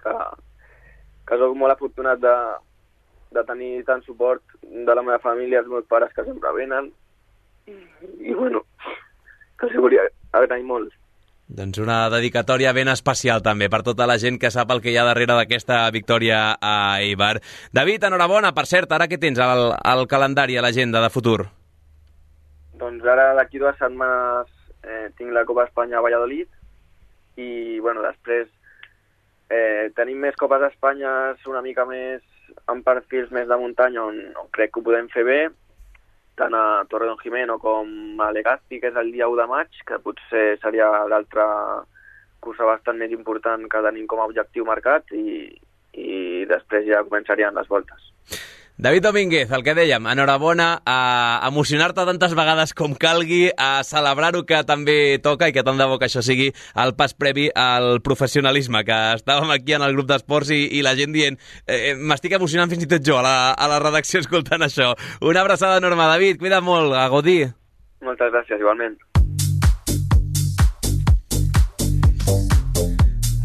que soc molt afortunat de tenir tant suport de la meva família, els meus pares que sempre venen i que els volia agrair molt. Doncs una dedicatòria ben especial també per tota la gent que sap el que hi ha darrere d'aquesta victòria a Eibar. David, enhorabona, per cert, ara què tens al calendari, a l'agenda de futur? Doncs ara d'aquí 2 setmanes tinc la Copa Espanya a Valladolid i després tenim més Copes d'Espanya una mica més en perfils més de muntanya on crec que ho podem fer bé, tant a Torredonjimeno com a Legazpi, que és el dia 1 de maig, que potser seria l'altra cursa bastant més important que tenim com a objectiu marcat i després ja començarien les voltes. David Domínguez, el que dèiem, enhorabona, a emocionar-te tantes vegades com calgui, a celebrar-ho que també toca i que tant de bo que això sigui el pas previ al professionalisme, que estàvem aquí en el grup d'esports i la gent dient m'estic emocionant fins i tot jo a la redacció escoltant això. Una abraçada enorme, David, cuida't molt, a gaudir. Moltes gràcies, igualment.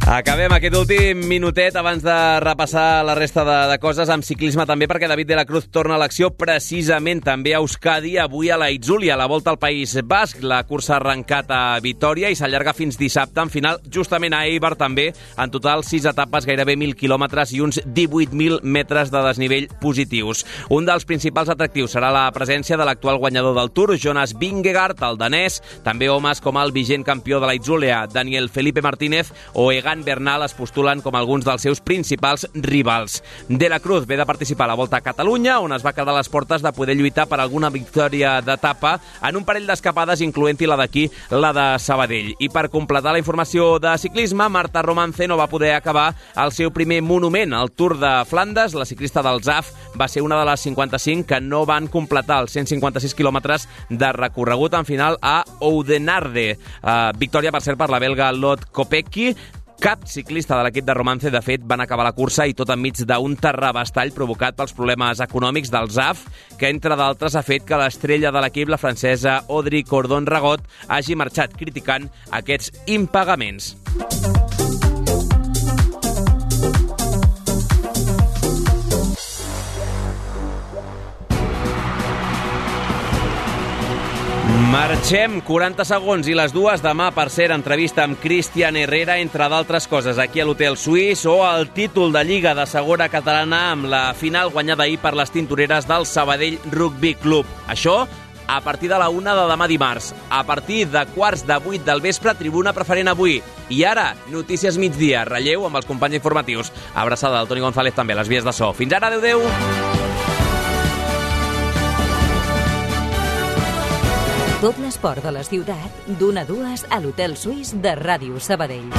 Acabem aquest últim minutet abans de repassar la resta de coses amb ciclisme també, perquè David de la Cruz torna a l'acció precisament també a Euskadi, avui a la Itzulia, a la Volta al País Basc. La cursa ha arrencat a Vitoria i s'allarga fins dissabte, en final justament a Eibar també, en total 6 etapes, gairebé 1.000 quilòmetres i uns 18.000 metres de desnivell positius. Un dels principals atractius serà la presència de l'actual guanyador del Tour, Jonas Vingegaard, el danès, també homes com el vigent campió de la Itzulia, Daniel Felipe Martínez o Egan Bernal es postulen com alguns dels seus principals rivals. De la Cruz ve de participar a la Volta a Catalunya, on es va quedar a les portes de poder lluitar per alguna victòria d'etapa en un parell d'escapades, incloent-hi la d'aquí, la de Sabadell. I per completar la informació de ciclisme, Marta Romance no va poder acabar el seu primer monument, el Tour de Flandes. La ciclista del ZAF va ser una de les 55 que no van completar els 156 quilòmetres de recorregut en final a Oudenarde. Victòria, per cert, per la belga Lot Kopecky. Cap ciclista de l'equip de Romance, de fet, van acabar la cursa i tot enmig d'un terrabastall provocat pels problemes econòmics del ZAF, que, entre d'altres, ha fet que l'estrella de l'equip, la francesa Audrey Cordon-Ragot, hagi marxat criticant aquests impagaments. Marxem, 40 segons i les 2 demà, per ser entrevista amb Cristian Herrera, entre d'altres coses, aquí a l'Hotel Suís, o el títol de Lliga de Segona Catalana amb la final guanyada ahir per les tintoreres del Sabadell Rugby Club. Això a partir de la 1 de demà dimarts. A partir de 7:45 del vespre, tribuna preferent avui. I ara, notícies migdia, relleu amb els companys informatius. Abraçada del Toni González també, a les vies de so. Fins ara, adeu-adeu! Tot l'esport de la ciutat, d'1 a 2 a l'Hotel Suís de Ràdio Sabadell.